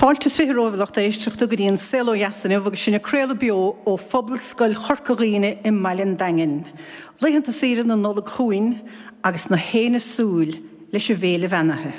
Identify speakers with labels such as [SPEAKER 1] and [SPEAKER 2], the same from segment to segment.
[SPEAKER 1] Fáilte is romhaibh a lucht éisteachta go dtí an Saol Ó Dheas inniu agus sinn ag craoladh beo ó Phobalscoil Chorca Dhuibhne i mBaile an Daingin. Laethanta saoire na Nollag chugainn agus na héinne súil leis an bhféile bheannaithe.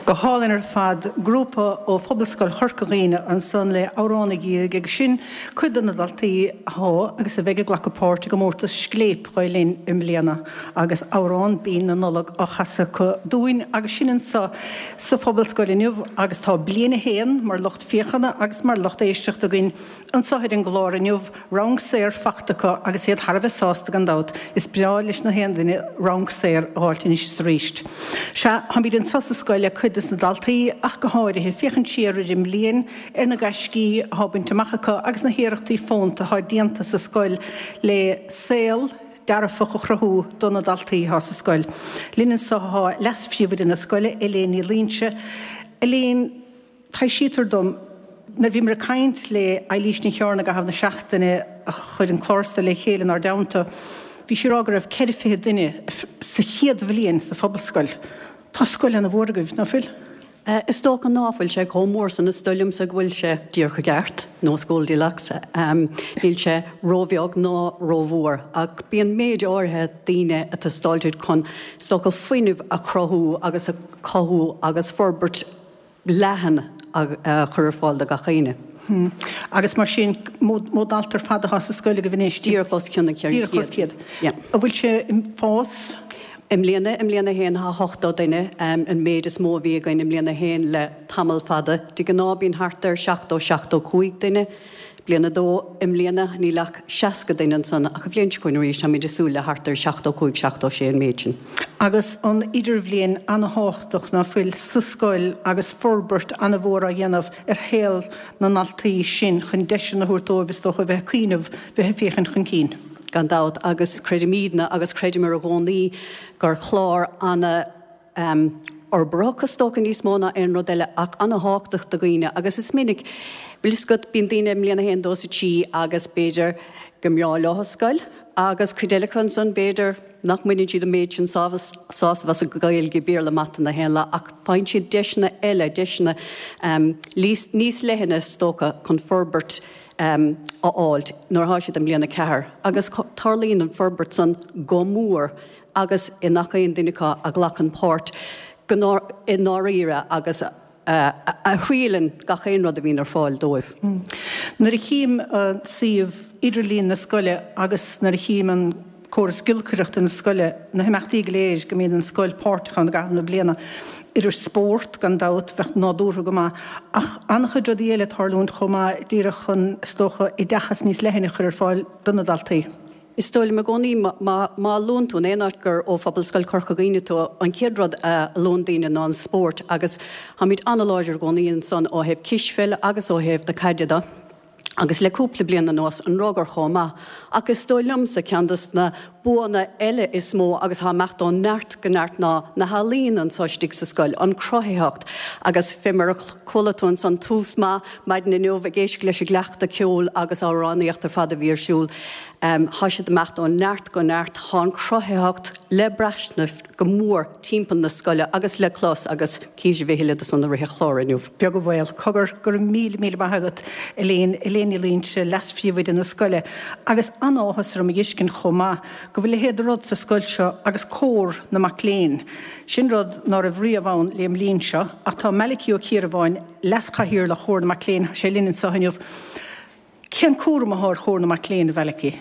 [SPEAKER 1] Go hálainn ar fad, grúpa ó Phobalscoil Chorca Dhuibhne ansan le Amhrán ag Iarraidh agus sin cuid de na daltaí atá agus a bheidh ag glacadh páirt i gcomórtas Scléip Ghael Linn i mbliana agus amhrán binn na Nollag á chasadh acu dúinn agus sinn anso sa Phobalscoil inniu agus tá Bliain 1 mar lucht féachana agus mar lucht éisteachta againn Anso ar an gclár inniu, radharc saor fachta acu agus iad thar a bheith sásta gan dabht. Is breá leis na haon duine radharc saor a dh'fháilt anois is arís. Sea, táimid anso sa scoil le cuid des na daltaí ach go háirithe, féachaint siar ar an mbliain, ar na gaiscí athá bainte amach acu agus na hiarrachtaí fónta athá déanta sa scoil le saol dearfach a chruthú do na daltaí athá sa scoil. Linn anso athá leas-phríomhoide na scoile, Elaine Ní Loingsigh. Elaine. Taibhsítear dom, nuair a bhíomar ag caint le Eilís Ní Chearna i gcaitheamh na seachtaine a chuir an clár so le chéile inár dteannta, bhí sí ag rá go raibh 24 duine sa chéad bhliain sa Phobalscoil. Tá scoil ana-mhór agaibh, ná fuil?
[SPEAKER 2] Is dócha ná fuil sé chomh mór san. Is dóigh liomsa go bhfuil sé díreach i gceart, nó is Goldilocks. Níl sé róbheag ná rómhór, ach bíonn méid áirithe daoine ag teastáil duit chun, is dócha, fuinneamh a chruthú agus a chothú agus forbairt leathan a chur ar fáil do gach éinne.
[SPEAKER 1] Agus mar sin, mó dalta ar fad atá sa scoil agaibh anois?
[SPEAKER 2] Díreach os cionn an 400.
[SPEAKER 1] Díreach os 100. Yeah. An bhfuil sé ag fás?
[SPEAKER 2] I mbliana, i mbliain a haon tá 80 duine, an méid is mó a bhí againn i mbliain a haon le tamall fada. De ghnáth bíonn thart ar 70, 75 duine. Bliain a dó, i mbliana níl ach 60 duine ansan ach an bhliain seo chugainn arís táimid ag súil le thart ar 75, 76 an méid sin.
[SPEAKER 1] Agus an idirbhliain ana-thábhachtach ná fuil sa scoil agus forbairt ana-mhór á dhéanamh ar shaol na ndaltaí sin chun deiseanna a thabhairt dóibh is dócha a bheith ag cuimhneamh, bheith ag féachaint chun cinn.
[SPEAKER 2] Gan dabht agus creidimídne agus chreideamar i gcónaí gur chlár ana. fhorbarthach is dócha níos mó ná aon rud eile ach ana-thábhachtach do dhaoine agus is minic, bhfuil fhios agat, bíonn daoine i mbliain a haon, dó is a trí agus b'fhéidir go mbreá leo an scoil agus cuid eile acu ansan b'fhéidir nach mbaineann siad an méid sin sásamh as an Ghaeilge, Béarla, Mata na haon lá ach faigheann siad deiseanna eile, deiseanna níos leithne is dócha chun forbairt a fháilt nuair atá siad i mbliain a ceathair agus tarlaíonn an forbairt san go mór. agus i ngach aon duine acu a ghlacann páirt go i ndáiríre agus a thriaileann gach aon rud a bhíonn ar fáil dóibh.
[SPEAKER 1] Nuair a chím suíomh idirlín na scoile agus nuair a chím an córas giolcaireachta na scoile, na himeachtaí go léir go mbíonn an scoil páirteach ann i gcaitheamh na bliana, idir spórt, gan dabht, bheadh nádúrtha go maith, ach an-chuid rudaí eile ag tarlúint chomh maith, díreach chun, is dócha, oideachas níos leithne a chur ar fáil do na daltaí.
[SPEAKER 2] Is dóigh liom i gcónaí má luann tú in aon áit gur ó Phobalscoil Chorca Dhuibhne tú, an chéad rud a luann daoine ná an spórt agus táimid an-láidir i gcónaí ansan ó thaobh cispheile agus ó thaobh na caide de agus le cúpla bliain anuas an rugar chomh maith. Ach is dóigh liomsa ceann dos na buanna eile is mó agus atá ag imeacht ó neart go neart ná na healaíona anso istigh sa scoil, an cruthaitheacht agus fé mar a chuala tú ansan tús maith maidin inniu ag éisteacht leis an gcleachtadh ceoil agus amhránaíocht ar fad a bhí ar siúl. Tá siad ag imeacht ó neart go neart. Tá an chruthaitheacht le braistint go mór timpeall na scoile agus le clos agus cífidh sibh a thuilleadh de san i rith an chláir inniu.
[SPEAKER 1] Beag an baol. Cogar, go raibh míle, míle maith agat, Elaine, Elaine Ní Loingsigh, Leas-Phríomhoide na scoile. Agus an-áthas orm a dh'fheiscint chomh maith go bhfuil a leithéid de rud sa scoil seo agus Cór na Mac Léinn. Sin rud ná raibh riamh ann lé an mbliain seo, ach tá Malachy Ó Ciarbháin, Leas-Chathaoirleach Chór na Mac Léinn, tá sé linn anseo inniu. Cén cúram athá ar Chór na Mac Léinn, a Mhalachy?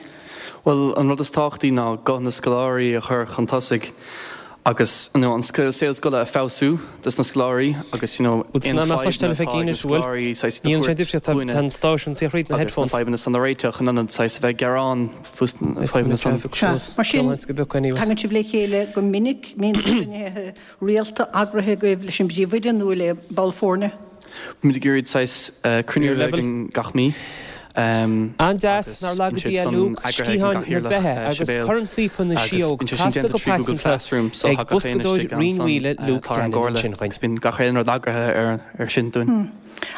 [SPEAKER 3] Bhuel, an rud is tábhachtaí ná guth na scoláirí a chur chun tosaigh agus you know an saol scoile a feabhsú dos na scoláirí agus you know aon fadhbanna atá ag na scoláirí saghas a thabhairt chugainne agus na fadhbanna san a réiteach in ionad saghas a bheith ag gearán faoi na fadhbanna san.
[SPEAKER 1] Sea, mar sin, tagann sibh le chéile go minic, mbíonn cruinnithe rialta eagraithe agaibh leis an bpríomhoide nó le ball foirne?
[SPEAKER 3] Bímid ag iarraidh saghas cruinniú a bheith againn gach mí
[SPEAKER 4] An-deas
[SPEAKER 3] agus
[SPEAKER 4] nár
[SPEAKER 3] bíonn
[SPEAKER 4] laga
[SPEAKER 3] siad
[SPEAKER 4] Dia
[SPEAKER 3] san
[SPEAKER 4] Luke,
[SPEAKER 3] eagraithe ag an
[SPEAKER 4] sciatháin na
[SPEAKER 3] gcathaoirleach
[SPEAKER 4] beithe agus
[SPEAKER 3] Sibéal
[SPEAKER 4] cornphíopa na
[SPEAKER 3] agus
[SPEAKER 4] síóg
[SPEAKER 3] bíonn sé sin
[SPEAKER 4] casta
[SPEAKER 3] déanta
[SPEAKER 4] go
[SPEAKER 3] trí Google
[SPEAKER 4] paiteanta
[SPEAKER 3] Classroom so
[SPEAKER 4] ag
[SPEAKER 3] tá gach aon
[SPEAKER 4] boscadóir
[SPEAKER 3] istigh
[SPEAKER 4] Rinn
[SPEAKER 3] ansan
[SPEAKER 4] Mhaoile Luke
[SPEAKER 3] atá ar an
[SPEAKER 4] Gannon
[SPEAKER 3] gcomhairle
[SPEAKER 4] ansin
[SPEAKER 3] agus bíonn gach aon rud eagraithe ar ar sin dúinn.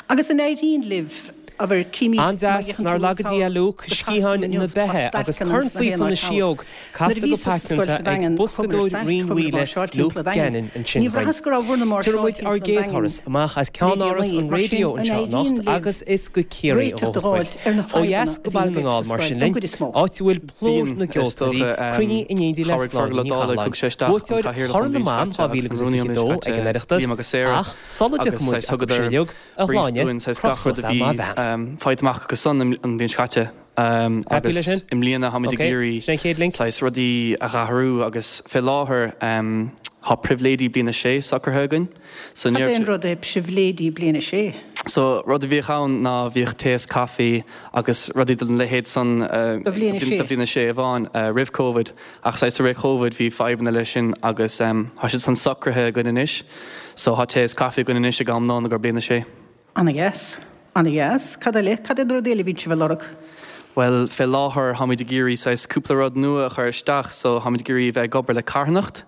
[SPEAKER 1] Agus an éiríonn libh, abair, címid má
[SPEAKER 4] An-deas
[SPEAKER 1] fhéachann
[SPEAKER 4] nár
[SPEAKER 1] tú
[SPEAKER 4] laga Dia
[SPEAKER 1] sall
[SPEAKER 4] Luke,
[SPEAKER 1] go trasna
[SPEAKER 4] sciatháin
[SPEAKER 1] inniu
[SPEAKER 4] na
[SPEAKER 1] tá
[SPEAKER 4] beithe agus
[SPEAKER 1] stailceanna ins na
[SPEAKER 4] cornphíopa
[SPEAKER 1] haon
[SPEAKER 4] na
[SPEAKER 1] áit thall.
[SPEAKER 4] síóg
[SPEAKER 1] Nuair a
[SPEAKER 4] casta go
[SPEAKER 1] bhíos sa scoil
[SPEAKER 4] paiteanta
[SPEAKER 1] sa
[SPEAKER 4] ag
[SPEAKER 1] Daingean, chuamar ar
[SPEAKER 4] boscadóir
[SPEAKER 1] stailc,
[SPEAKER 4] Rinn
[SPEAKER 1] chuamar ag
[SPEAKER 4] Mhaoile
[SPEAKER 1] máirseáil
[SPEAKER 4] Luke
[SPEAKER 1] timpeall an Daingin.
[SPEAKER 4] Gannon ansin
[SPEAKER 1] Ní
[SPEAKER 4] againn.
[SPEAKER 1] bhraitheas go raibh bhur
[SPEAKER 4] Tabharfaidh
[SPEAKER 1] máirseáil
[SPEAKER 4] muid ár
[SPEAKER 1] timpeall an
[SPEAKER 4] gcéad
[SPEAKER 1] Daingin
[SPEAKER 4] thuras amach as
[SPEAKER 1] le
[SPEAKER 4] ceannáras
[SPEAKER 1] déanaí.
[SPEAKER 4] an
[SPEAKER 1] Mar sin,
[SPEAKER 4] raidió
[SPEAKER 1] an
[SPEAKER 4] anseo
[SPEAKER 1] éiríonn
[SPEAKER 4] anocht
[SPEAKER 1] libh
[SPEAKER 4] agus is go Ciarraí a
[SPEAKER 1] réiteach
[SPEAKER 4] ghabhfas
[SPEAKER 1] a
[SPEAKER 4] muid.
[SPEAKER 1] fháilt ar na
[SPEAKER 4] Ó
[SPEAKER 1] fadhbanna
[SPEAKER 4] dheas
[SPEAKER 1] a
[SPEAKER 4] go
[SPEAKER 1] bhíonn
[SPEAKER 4] Baile na
[SPEAKER 1] agaibh
[SPEAKER 4] nGall
[SPEAKER 1] sa
[SPEAKER 4] mar
[SPEAKER 1] scoil,
[SPEAKER 4] sin
[SPEAKER 1] don
[SPEAKER 4] linn,
[SPEAKER 1] gcuid is mó?
[SPEAKER 4] áit a bhfuil plúr
[SPEAKER 3] Bíonn,
[SPEAKER 4] na
[SPEAKER 3] is
[SPEAKER 4] gceoltóirí
[SPEAKER 3] dócha,
[SPEAKER 4] cruinnithe in éindí le
[SPEAKER 3] chabhraigh
[SPEAKER 4] Sláine
[SPEAKER 3] Fergal Ó
[SPEAKER 4] Ní
[SPEAKER 3] Dálaigh,
[SPEAKER 4] Chathalláin,
[SPEAKER 3] thug sé isteach an
[SPEAKER 4] buaiteoir
[SPEAKER 3] cathaoirleach an
[SPEAKER 4] Chorn na
[SPEAKER 3] bhliain
[SPEAKER 4] mBan
[SPEAKER 3] seo caite agus an rúnaí an bhliain
[SPEAKER 4] 2022
[SPEAKER 3] seo
[SPEAKER 4] ag an
[SPEAKER 3] caite,
[SPEAKER 4] Oireachtas,
[SPEAKER 3] Liam agus Sarah,
[SPEAKER 4] ach sula
[SPEAKER 3] agus
[SPEAKER 4] dtiocfaidh muid
[SPEAKER 3] saghas
[SPEAKER 4] acu sin
[SPEAKER 3] thugadar
[SPEAKER 4] uilig, a
[SPEAKER 3] brief
[SPEAKER 4] Shláine,
[SPEAKER 3] dúinn saghas
[SPEAKER 4] croch
[SPEAKER 3] gach rud
[SPEAKER 4] suas
[SPEAKER 3] a
[SPEAKER 4] é
[SPEAKER 3] bhí
[SPEAKER 4] má bhean.
[SPEAKER 3] faighte amach acu san an bhliain seo caite
[SPEAKER 4] Happy leis
[SPEAKER 3] agus
[SPEAKER 4] sin?
[SPEAKER 3] i mbliana táimid ag
[SPEAKER 4] Ok,
[SPEAKER 3] iarraidh
[SPEAKER 4] sin an chéad link.
[SPEAKER 3] saghas rudaí a dh'athrú agus fé láthair tá pribhléidí bliain a sé socraithe againn so
[SPEAKER 1] Cad
[SPEAKER 3] ní
[SPEAKER 1] é
[SPEAKER 3] raibh
[SPEAKER 1] an
[SPEAKER 3] sé
[SPEAKER 1] rud é pribhléidí bliain a sé?
[SPEAKER 3] So rud a bhíodh ann ná bhíodh tae is caife agus rudaí den leithéid san
[SPEAKER 1] Do bhliain a sé.
[SPEAKER 3] do bhliain a sé amháin roimh Covid ach saghas i rith Covid bhí fadhbanna leis sin agus tá siad san socraithe againn anois so tá tae is caife againn anois ag am lóin i gcomhair bliain a sé.
[SPEAKER 1] Ana-dheas. Ana-dheas. Cad eile? Cad iad na rudaí eile a bhíonn sibh a lorg?
[SPEAKER 3] Bhuel, fé láthair táimid ag iarraidh saghas cúpla rud nua a chur isteach so táimid ag iarraidh a bheith ag obair le carthanacht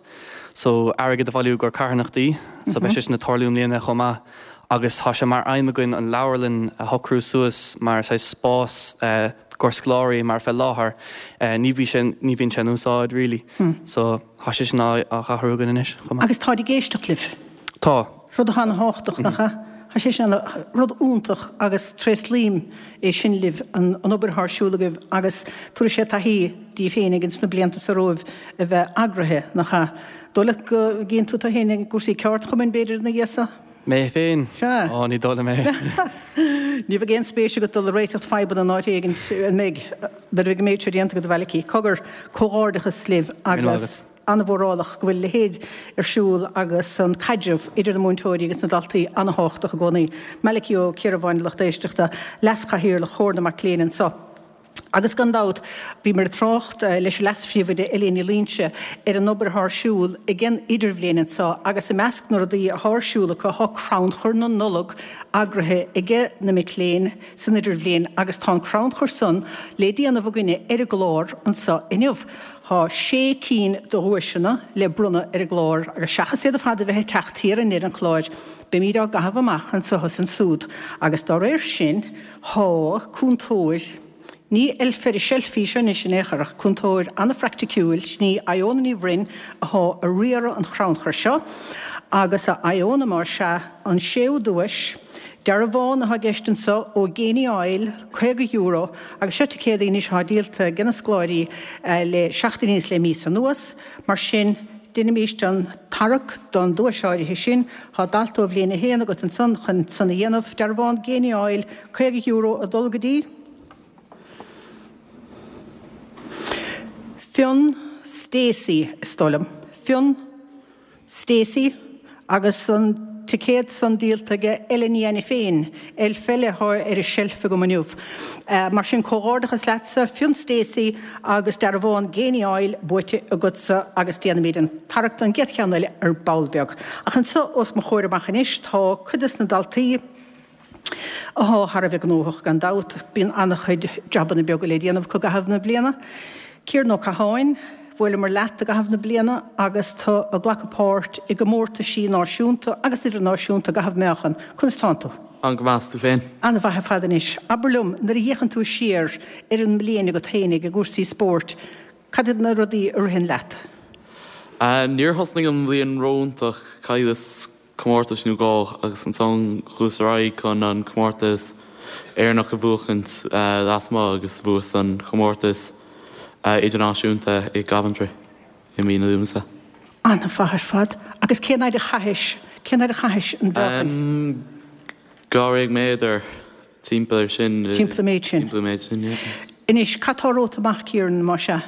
[SPEAKER 3] so airgead a bhailiú i gcomhair carthanachtaí so beidh sé sin ag tarlú i mbliana chomh maith agus tá sé mar aidhm againn an leabharlann a shocrú suas mar saghas spás i gcomhair scoláirí mar fé láthair ní bhí sé ní bhíonn sé in úsáid really so tá sé sin á athrú againn anois chomh maith.
[SPEAKER 1] Agus táid ag éisteacht libh?
[SPEAKER 3] Tá.
[SPEAKER 1] Rud atá ana-thábhachtach, nach ea? Tá sé sin ana, rud iontach agus tréaslaím é sin libh, an obair atá ar siúl agaibh agus tabharfaidh sé taithí daoibh féinig ins na blianta seo romhaibh a bheith eagraithe, nach ea? Dóigh leat go gcíonn tú tú féin i gcúrsaí ceardchumainn, b'fhéidir, ina dhiaidh seo?
[SPEAKER 3] Mé féin?
[SPEAKER 1] Sea.
[SPEAKER 3] Ó, ní dóigh liom é.
[SPEAKER 1] Ní bheidh aon spéis agat dul ag réiteacht fadhbanna in áit éigint, an mbeidh? Nuair a bheidh an méid seo déanta agat, a Mhalachy. Cogar, comhghairdeachas libh agus. An-mhórálach go bhfuil a leithéid ar siúl agus an caidreamh idir na múinteoirí agus na daltaí an-thábhachtach i gcónaí. Malachy Ó Ciarbháin, lucht éisteachta, Leas-Chathaoirleach Chomhar na Mac Léinn anseo. Agus gan dabht, bhíomar ag trácht leis an Leas-Phríomhoide Eiléan Ní Loingsigh ar an obair atá ar siúl ag an Idirbhliain anseo agus i measc na rudaí atá ar siúl acu tá crannchur na Nollag eagraithe aige na mic léinn san Idirbhliain agus tá an crannchur san le déanamh againne ar an gclár anseo inniu. Tá sé cinn de dhuaiseanna le bronnadh ar an gclár agus seachas iad ar fad a bheith ag teacht thiar i ndeireadh an chláir, beimíd á gcaitheamh amach anso is ansúd agus dá réir sin tá cúntóir, ní eilf ar an tseilf í seo anois in aon chor ach cúntóir an-phraiticiúil, sin í Iona Ní Bhroin athá a riaradh an chrannchuir seo agus a Iona más ea an séú duais. Dearbhán atá i gceist anseo ó Geaney Oil, €50, agus seo ticéadaí anois atá díolta ag na scoláirí le seachtainí is le míosa anuas. Mar sin, deinimíst an tarrac don duais áirithe sin. Tá dalta ó bhliain 1 agat ansan chun san a dhéanamh. Dearbhán Geaney Oil, €50 ag dul go dtí Fionn Stacey, is dóigh liom. Fionn. Stacey, Agus an ticéad san díolta aige Ella Ní Ainiféin, Elf Eile atá ar an tseilf agam inniu. Mar sin, comhghairdeachas leatsa, Fionn Stacey, agus dearbhán Geaney Oil buaite agatsa agus déanfaimid an tarrac don gcéad cheann eile ar ball beag. Ach anseo os mo chomhair amach anois tá cuid des na daltaí, Athá thar a bheith gnóthach gan dabht. Bíonn an-chuid jabanna beaga le déanamh acu i gcaitheamh na bliana. Ciaran Ó Catháin, bhuaileamar leat i gcaitheamh na bliana agus tú ag glacadh páirt i gcomórtaisí náisiúnta agus idirnáisiúnta i gcaitheamh meáchan. Conas tánn tú?
[SPEAKER 3] Táim go maith, 's tú féin?
[SPEAKER 1] An-mhaith ar fad anois. Abair liom, nuair a fhéachann tú siar ar an mbliain agat féinig i gcúrsaí spóirt, cad iad na rudaí a ritheann leat?
[SPEAKER 3] Níor thosnaigh an bhliain ró-iontach, chailleas comórtais nó dhó agus ansan chuas ar aghaidh chun an comórtas Éireannach a bhuachaint lasmuigh agus bhuas an chomórtas idirnáisiúnta i gCoventry i mí na Lúnasa.
[SPEAKER 1] An-mhaith ar fad. Agus cén fhaid a chaithis, cén fhaid a chaithis an mheáchan?
[SPEAKER 3] 12 méadar, timpeall ar sin.
[SPEAKER 1] Timpeall an méid sin.
[SPEAKER 3] Timpeall an méid sin, yeah.
[SPEAKER 1] Anois, cad tá romhat amach, Ciaran, más ea?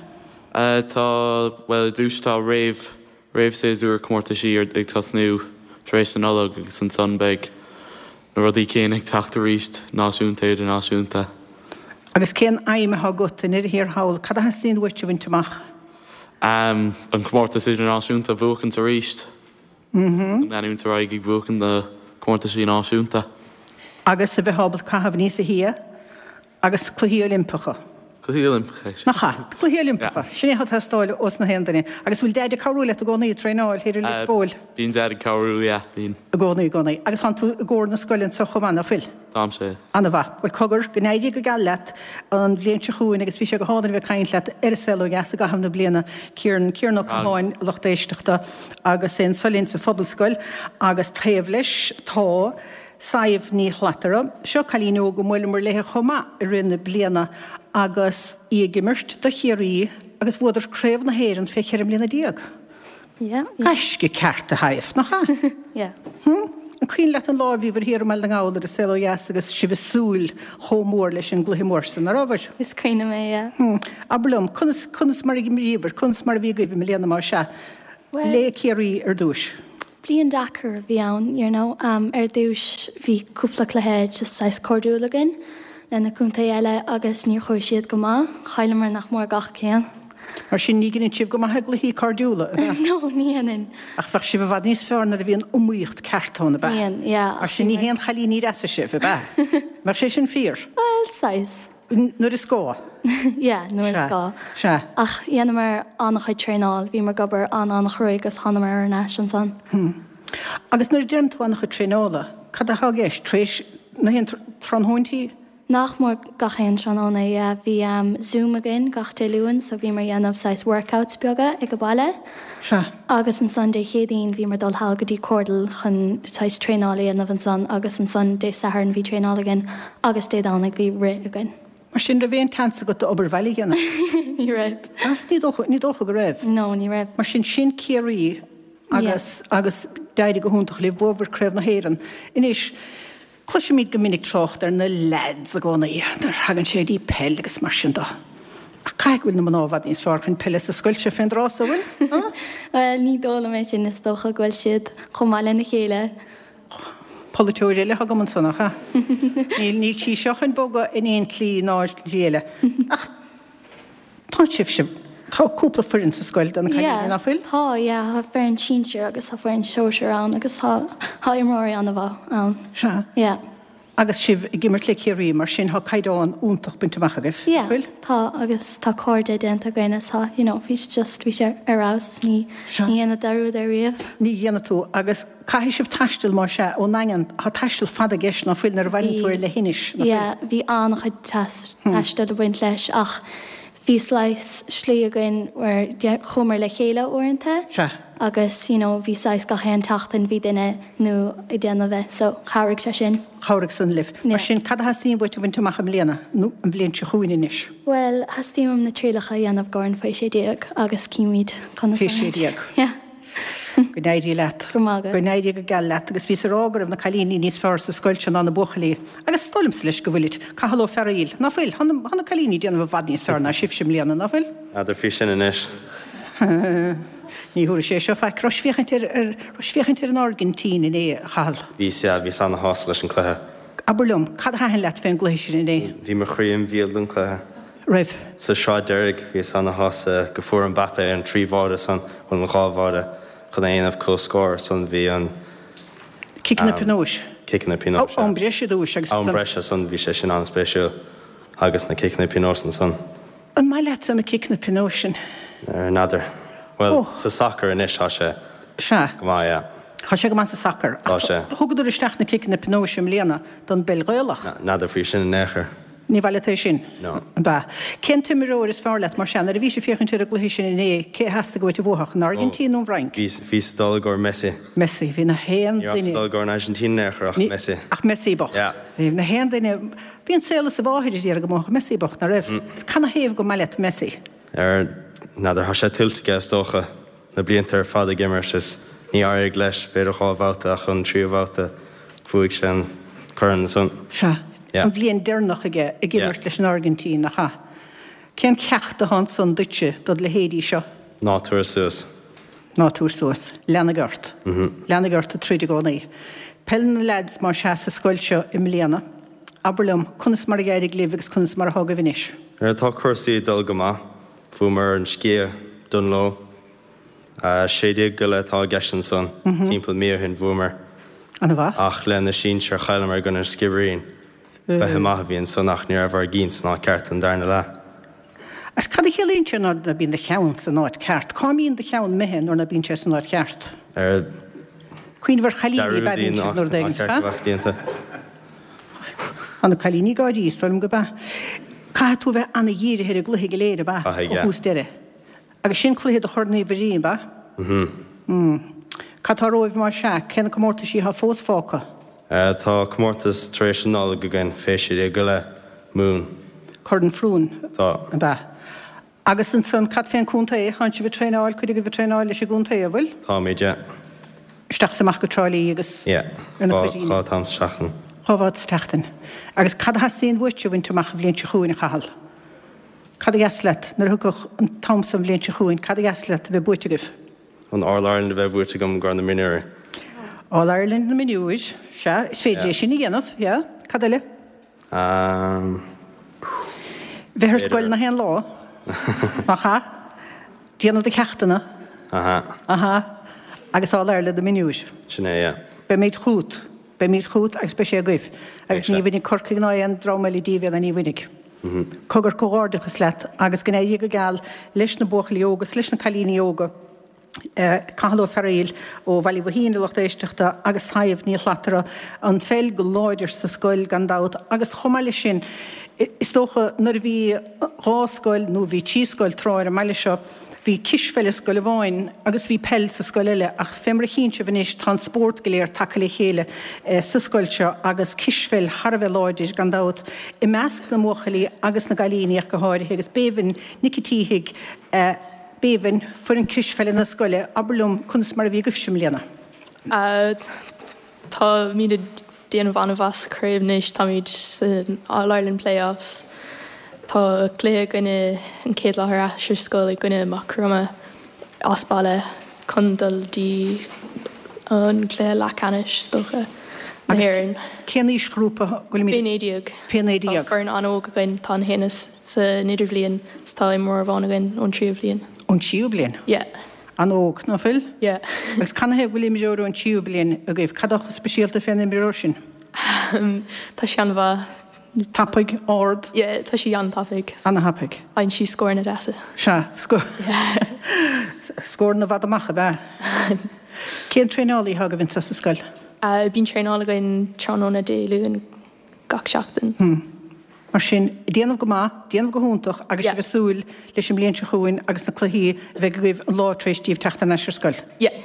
[SPEAKER 3] Tá, bhuel, i dtús tá réamh Réamhshéasúr comórtaisí ag tosnú tar éis na Nollag agus ansan beidh na rudaí céanna ag teacht arís, náisiúnta, idirnáisiúnta.
[SPEAKER 1] Agus cén aidhm atá agat i ndeireadh thiar thall, cad a theastaíonn uait a bhaint amach?
[SPEAKER 3] An comórtas idirnáisiúnta a bhuachaint arís. Leanúint ar aghaidh ag buachan na comórtaisí náisiúnta.
[SPEAKER 1] Agus a bheith ábalta caitheamh aníos a thia Agus Cluichí Oilimpeacha.
[SPEAKER 3] Cluichí Oilimpeacha,
[SPEAKER 1] sin. Nach ea? Cluichí Oilimpeacha. Sin é atá ag teastáil ós na haon duine. Agus bhfuil Deaid ag cabhrú leat i gcónaí ag traenáil thiar i Lios Póil?
[SPEAKER 3] Bíonn Deaid ag cabhrú, yeah, bíonn.
[SPEAKER 1] I gcónaí, i gcónaí. Agus tánn tú i gcór na scoile anseo chomh maith, ná fuil?
[SPEAKER 3] Táimse.
[SPEAKER 1] Ana-mhaith. Bhuel, cogar, go n-éirí go geal leat an bhliain seo chugainn agus bhí sé go hálainn a bheith ag caint leat ar An Saol Ó Dheas i gcaitheamh na bliana, Ciaran, Ciaran Ó Catháin, lucht éisteachta, agus é anso linn sa Phobalscoil agus taobh leis tá Sadhbh Ní Shlatara. Seo cailín óg a mbuaileamar léithe chomh maith i rith na bliana agus í ag imirt do Chiarraí agus bhuadar Craobh na hÉireann fé 14 mbliana.
[SPEAKER 5] Yeah.
[SPEAKER 1] Gaisce ceart a Shadhbh, nach ea?
[SPEAKER 5] Yeah.
[SPEAKER 1] Hm? An cuimhin leat an lá a bhíobhair thiar i mBaile na nGall ar an Saol Ó Dheas agus sibh ag súil chomh mór leis an gcluiche mór san, ná rabhabhair?
[SPEAKER 5] Is cuimhin liom é, yeah.
[SPEAKER 1] Hm. Abair liom, conas, conas mar a d'imríobhair, conas mar a bhí agaibh i mbliana más ea?
[SPEAKER 5] Bhuel.
[SPEAKER 1] Le Ciarraí ar dtúis.
[SPEAKER 5] Bliain deacair a bhí ann, you know. Ar dtús bhí cúpla cluiche just saghas cairdiúil againn le na contae eile agus níor chuaigh siad go maith. Chailleamar nach mór gach ceann.
[SPEAKER 1] Mar sin ní dhéanann sibh go maith i gcluichí cairdiúla, ab ea?
[SPEAKER 5] No, ní dhéanann.
[SPEAKER 1] Ach bheadh sibh i bhfad níos fearr nuair a bhíonn iomaíocht ceart ann, ab ea?
[SPEAKER 5] Bíonn, yeah.
[SPEAKER 1] Mar sin ní haon chailíní deasa sibh, ab ea? Mbeadh sé sin fíor?
[SPEAKER 5] Bhuel, saghas.
[SPEAKER 1] Nuair is gá.
[SPEAKER 5] Yeah, nuair is gá.
[SPEAKER 1] Sea.
[SPEAKER 5] Ach dhéanamar an-chuid traenáil, bhíomar ag obair an-an-chruaidh agus thánamar ar n-ais ansan.
[SPEAKER 1] Hmm. Agus nuair a deireann tú an-chuid traenála, cad atá i gceist? Tar éis na haon tráthnóintí?
[SPEAKER 5] Nach mór gach aon tráthnóna, yeah. Bhí Zoom againn gach Dé Luain so bhíomar ag dhéanamh saghas workouts beaga ag an baile.
[SPEAKER 1] Sea.
[SPEAKER 5] Agus ansan Dé Céadaoin bhíomar dul thall go dtí Cordal chun saghas traenáil a dhéanamh ansan agus ansan Dé Sathairn bhí traenáil againn agus Dé Domhnaigh bhí rith againn.
[SPEAKER 1] Mar sin raibh aon tseans agat d'obair bhaile a dhéanamh?
[SPEAKER 5] Ní raibh.
[SPEAKER 1] Ah, ní dócha, ní dócha go raibh.
[SPEAKER 5] No, ní raibh.
[SPEAKER 1] Mar sin, sin Ciarraí agus, agus d'éirigh go hiontach libh, bhuabhair Craobh na hÉireann. Anois, Cloisimid go minic trácht ar na leaids i gcónaí nuair a thagann sé dtí peil agus mar sin de. Ach caithfidh go bhfuil na mná i bhfad níos fearr chun peile sa scoil seo fén dtráth so, an bhfuil?
[SPEAKER 5] Bhuel, ní dóigh liom é sin, is dócha go bhfuil siad chomh maith lena chéile.
[SPEAKER 1] Polaiteoir eile atá agam ansan, nach ea? Níl, níl sí seo chun bogadh in aon tslí ná ar shlí eile. Ach tá sibhse, tá cúpla foireann sa scoil do na cailíní, nach bhfuil?
[SPEAKER 5] Tá, yeah, tá foireann sinsir agus tá foireann sóisir ann agus tá, tá imreoirí an-mhaith ann.
[SPEAKER 1] Sea.
[SPEAKER 5] Yeah.
[SPEAKER 1] Agus sibh ag imirt le Ciarraí, mar sin tá caighdeán iontach bainte amach agaibh,
[SPEAKER 5] Yeah,
[SPEAKER 1] nach bhfuil?
[SPEAKER 5] tá agus tá cairde déanta againn is tá, you know, bhí sé just, bhí sé ar fheabhas is ní,
[SPEAKER 1] Sea.
[SPEAKER 5] ní dhéanfad dearúd air riamh.
[SPEAKER 1] Ní dhéanfaidh tú agus caithfidh sibh taisteal más ea, ón nDaingean, tá taisteal fada i gceist ná fuil nuair a bhaileann tú ar leithinis, nach
[SPEAKER 5] bhí, yeah,
[SPEAKER 1] bhfuil?
[SPEAKER 5] bhí an-chuid taistil ag baint leis ach bhí saghas slí againn where chuamar le chéile uaireanta
[SPEAKER 1] Sea.
[SPEAKER 5] Agus you know bhí saghas gach aon tseachtain bhí duine nua ag déanamh é so chabhraigh sé sin.
[SPEAKER 1] Chabhraigh san libh. Mar sin cad a theastaíonn uait a bhaint amach i mbliana, nó an bhliain seo chugainn anois?
[SPEAKER 5] Bhuel theastaíonn uaim na trialacha a dhéanamh i gcomhair an faoi 16 agus címid conas
[SPEAKER 1] Faoi 16.
[SPEAKER 5] Yeah.
[SPEAKER 1] Go n-éirí leat.
[SPEAKER 5] Go raibh maith agat.
[SPEAKER 1] Go n-éirí go geal leat. Agus bhíos ag rá go raibh na cailíní níos fearr sa scoil seo ná na buachaillí. Agus is dóigh liomsa leis go bhfuilid. Cathal Ó Fearghaíl, Ná fuil? Tá na cailíní ag déanamh i bhfad níos fearr ná sibhse i mbliana, ná fuil?
[SPEAKER 3] N'fheadar faoi sin anois.
[SPEAKER 1] Ní thabharfaidh sé seo faic. Raibh féachaint ar, ar, raibh féachaint ar an Airgintín inné, a Chathail?
[SPEAKER 3] Bhíos, yeah, bhíos ana-shásta leis an cluiche.
[SPEAKER 1] Abair liom, cad a thaitin leat fén gcluiche sin inné?
[SPEAKER 3] Bhí mo chroí im bhéal don chluiche.
[SPEAKER 1] Raibh?
[SPEAKER 3] Sa sraith deiridh, bhíos ana-shásta go fuair Mbappe an trí bháide san, bhuel an dhá bháide, chun a dhéanamh comhscór, san bhí an.
[SPEAKER 1] Ciceanna pionóis.
[SPEAKER 3] Ciceanna pionóis, yeah.
[SPEAKER 1] Am breise ar dtúis agus.
[SPEAKER 3] Am breise san, bhí sé sin an-spéisiúil agus na ciceanna pionóis ansan.
[SPEAKER 1] An maith leatsa na ciceanna pionóis sin?
[SPEAKER 3] N'fheadar. Bhuel, sa sacar anois tá sé
[SPEAKER 1] Sea.
[SPEAKER 3] go maith, yeah.
[SPEAKER 1] Tá sé go maith sa sacar.
[SPEAKER 3] Tá sé.
[SPEAKER 1] Ach thugadar isteach na ciceanna pionóis i mbliana don bpeil Ghaelach.
[SPEAKER 3] N'fheadar faoi sin in aon chor.
[SPEAKER 1] Ní maith leat é sin?
[SPEAKER 3] No.
[SPEAKER 1] Ab ea? Cén t-imreoir is fearr leat mar sea? Nuair a bhís ag féachaint ar an gcluiche sin inné, cé a theastaigh uait a bhuafadh, an Airgintín nó an Fhrainc?
[SPEAKER 3] Bhíos, bhíos ag dul i gcomhair Messi.
[SPEAKER 1] Messi. Bhí na haon
[SPEAKER 3] Ní rabhas
[SPEAKER 1] duine.
[SPEAKER 3] ag dul i gcomhair an Airgintín in aon chor ach Messi.
[SPEAKER 1] Ach Messi bocht.
[SPEAKER 3] Yeah.
[SPEAKER 1] Bhí na haon duine, bhí an saol is a mháthair a d'iarraidh go mbuafadh Messi bocht, ná raibh? Canathaobh gur maith leat Messi?
[SPEAKER 3] Ar, n'fheadar, tá sé tuillte aige is dócha, na blianta ar fad ag imirt is ní éirigh leis, b'fhéidir dhá bhabhta ach an tríú babhta bhuaigh sé an corn ansan.
[SPEAKER 1] Sea,
[SPEAKER 3] Yeah.
[SPEAKER 1] an bhliain deireanach aige ag
[SPEAKER 3] Yeah.
[SPEAKER 1] imirt leis an Airgintín, nach ea? Cén ceacht atá ansan duitse, dod leithéidí seo?
[SPEAKER 3] Ná tabhair suas.
[SPEAKER 1] Ná tabhair suas. Leanaigh ort. Leanaigh ort ag troid i gcónaí. Peil na leaids más ea sa scoil seo i mbliana. Abair liom, conas mar a d'éirigh libh agus conas mar atá agaibh anois?
[SPEAKER 3] Tá cúrsaí ag dul go maith. Bhuamar an Sciath, Dungloe. 16 go leith atá i gceist ansan. Timpeall mí ó shin bhuamar.
[SPEAKER 1] An-mhaith.
[SPEAKER 3] Ach le na sinsir chailleamar i gcoinne an Sciobairín. Cluiche maith a bhí ansan ach ní raibh ár gcinn san áit ceart an darna leath.
[SPEAKER 1] Agus cad a chiallaíonn sé nuair ná bíonn do cheann san áit ceart? Cá mbíonn do cheann imithe nuair ná bíonn sé san áit cheart?
[SPEAKER 3] Ar
[SPEAKER 1] Cuimhneamh ar chailíní ab ea bíonn siad nuair a
[SPEAKER 3] áit ceart a bheadh déanta.
[SPEAKER 1] Tá na cailíní ag gáirí, is dóigh liom gurb ea. Caithfidh tú a bheith ana-dhírithe ar an gcluiche go léir, ab ea?
[SPEAKER 3] Caithfidh,
[SPEAKER 1] Ó
[SPEAKER 3] yeah.
[SPEAKER 1] thús deireadh. Agus sin cluiche do Chorn Uí Mhuirí, ab ea?
[SPEAKER 3] Mhm.
[SPEAKER 1] Cad tá romhaibh más ea? Cé na comórtaisí atá fós fágtha?
[SPEAKER 3] Tá comórtas tar éis an Nollag againn, fé 16 go leith, Mumhan.
[SPEAKER 1] Corn Frewen,
[SPEAKER 3] Tá.
[SPEAKER 1] ab ea? Agus ansan, cad fén contae? Tánn sibh ag traenáil, cuid agaibh ag traenáil leis an gcontae, an bhfuil?
[SPEAKER 3] Táimid, yeah.
[SPEAKER 1] Isteach is amach go Trá Lí agus
[SPEAKER 3] Yeah.
[SPEAKER 1] ar na
[SPEAKER 3] Dhá,
[SPEAKER 1] cuidíní.
[SPEAKER 3] dhá t-am sa tseachtain.
[SPEAKER 1] Dhá bhabhta sa tseachtain. Agus cad a theastaíonn uait a bhaint amach an bhliain seo chugainn, a Chathail? Cad a dheas leat, nuair a thiocfadh an t-am san an bhliain seo chugainn, cad a dheas leat a bheith buaite agaibh?
[SPEAKER 3] An All Ireland a bheith buaite agam i gcomhair na mionúir.
[SPEAKER 1] All Ireland na mionúir, sea, is féidir é sin a dhéanamh, yeah. Cad eile?
[SPEAKER 3] Um.
[SPEAKER 1] Bheith ar scoil na haon lá, nach ea? Déanamh do cheachtanna.
[SPEAKER 3] Aha.
[SPEAKER 1] Aha. Agus All Ireland na mionúir.
[SPEAKER 3] Sin é, yeah.
[SPEAKER 1] Beimid chugat. Beimid chugat agus beidh sé agaibh. Agus ní bhainfidh Corcaigh ná aon dream eile díobh é ná ní bhainfidh. Cogar comhghairdeachas leat agus go n-éirí go geal leis na buachaillí óga is leis na cailíní óga, Cathal Ó Fearghaíl ó Bhaile Mhaoithín, a lucht éisteachta, agus Sadhbh Ní Shlatara, an pheil go láidir sa scoil gan dabht agus chomh maith leis sin is dócha nuair a bhí dhá scoil nó bhí trí scoil tráth ar an mbaile seo, Bhí cispheil i scoil amháin agus bhí peil sa scoil eile ach fé mar a chíonn sibh anois tá an spórt go léir tagtha le chéile sa scoil seo agus cispheil thar a bheith láidir gan dabht i measc na mbuachaillí agus na gcailíní ach go háirithe agus Béibhinn Nic an tSíthigh, Béibhinn, foireann cispheile na scoile, abair liom conas mar a bhí agaibhse i mbliana?
[SPEAKER 5] Táimid ag déanamh an-mhaith sa chraobh anois, táimid san All Ireland Play-Offs. Tá cluiche againne an chéad lá ar ais ar scoil i gcoinne Maigh Chromtha as baile chun dul dtí an cluiche leathcheannais is dócha, na hÉireann.
[SPEAKER 1] Cén aoisghrúpa a bhfuilimid?
[SPEAKER 5] Fé 19.
[SPEAKER 1] Fé 19.
[SPEAKER 5] Tá foireann an-óg againn, tá an haon san idirbhliain is tá imreoir amháin againn ón tríú bliain.
[SPEAKER 1] Ón tríú bliain?
[SPEAKER 5] Yeah.
[SPEAKER 1] An-óg, ná fuil?
[SPEAKER 5] Yeah.
[SPEAKER 1] Agus canathaobh go bhfuil imreoir ón tríú bliain agaibh? Cad atá chomh speisialta fén imreoir sin?
[SPEAKER 5] Tá sí an-mhaith.
[SPEAKER 1] Tapaidh, ard?
[SPEAKER 5] Yeah, tá sí an-tapaidh.
[SPEAKER 1] An-thapaidh.
[SPEAKER 5] Faigheann sí scóranna deasa.
[SPEAKER 1] Sea, scóranna i bhfad amach, ab ea? Cén traenálaí atá agaibh anso sa scoil?
[SPEAKER 5] Bíonn traenáil againn tráthnóna Dé Luain gach seachtain.
[SPEAKER 1] Mar sin, déanamh go maith, déanamh go hiontach agus sibh ag súil leis an mbliain seo chugainn agus na cluichí a bheidh agaibh an lá tar éis daoibh teacht thar n-ais ar scoil.
[SPEAKER 5] Yeah.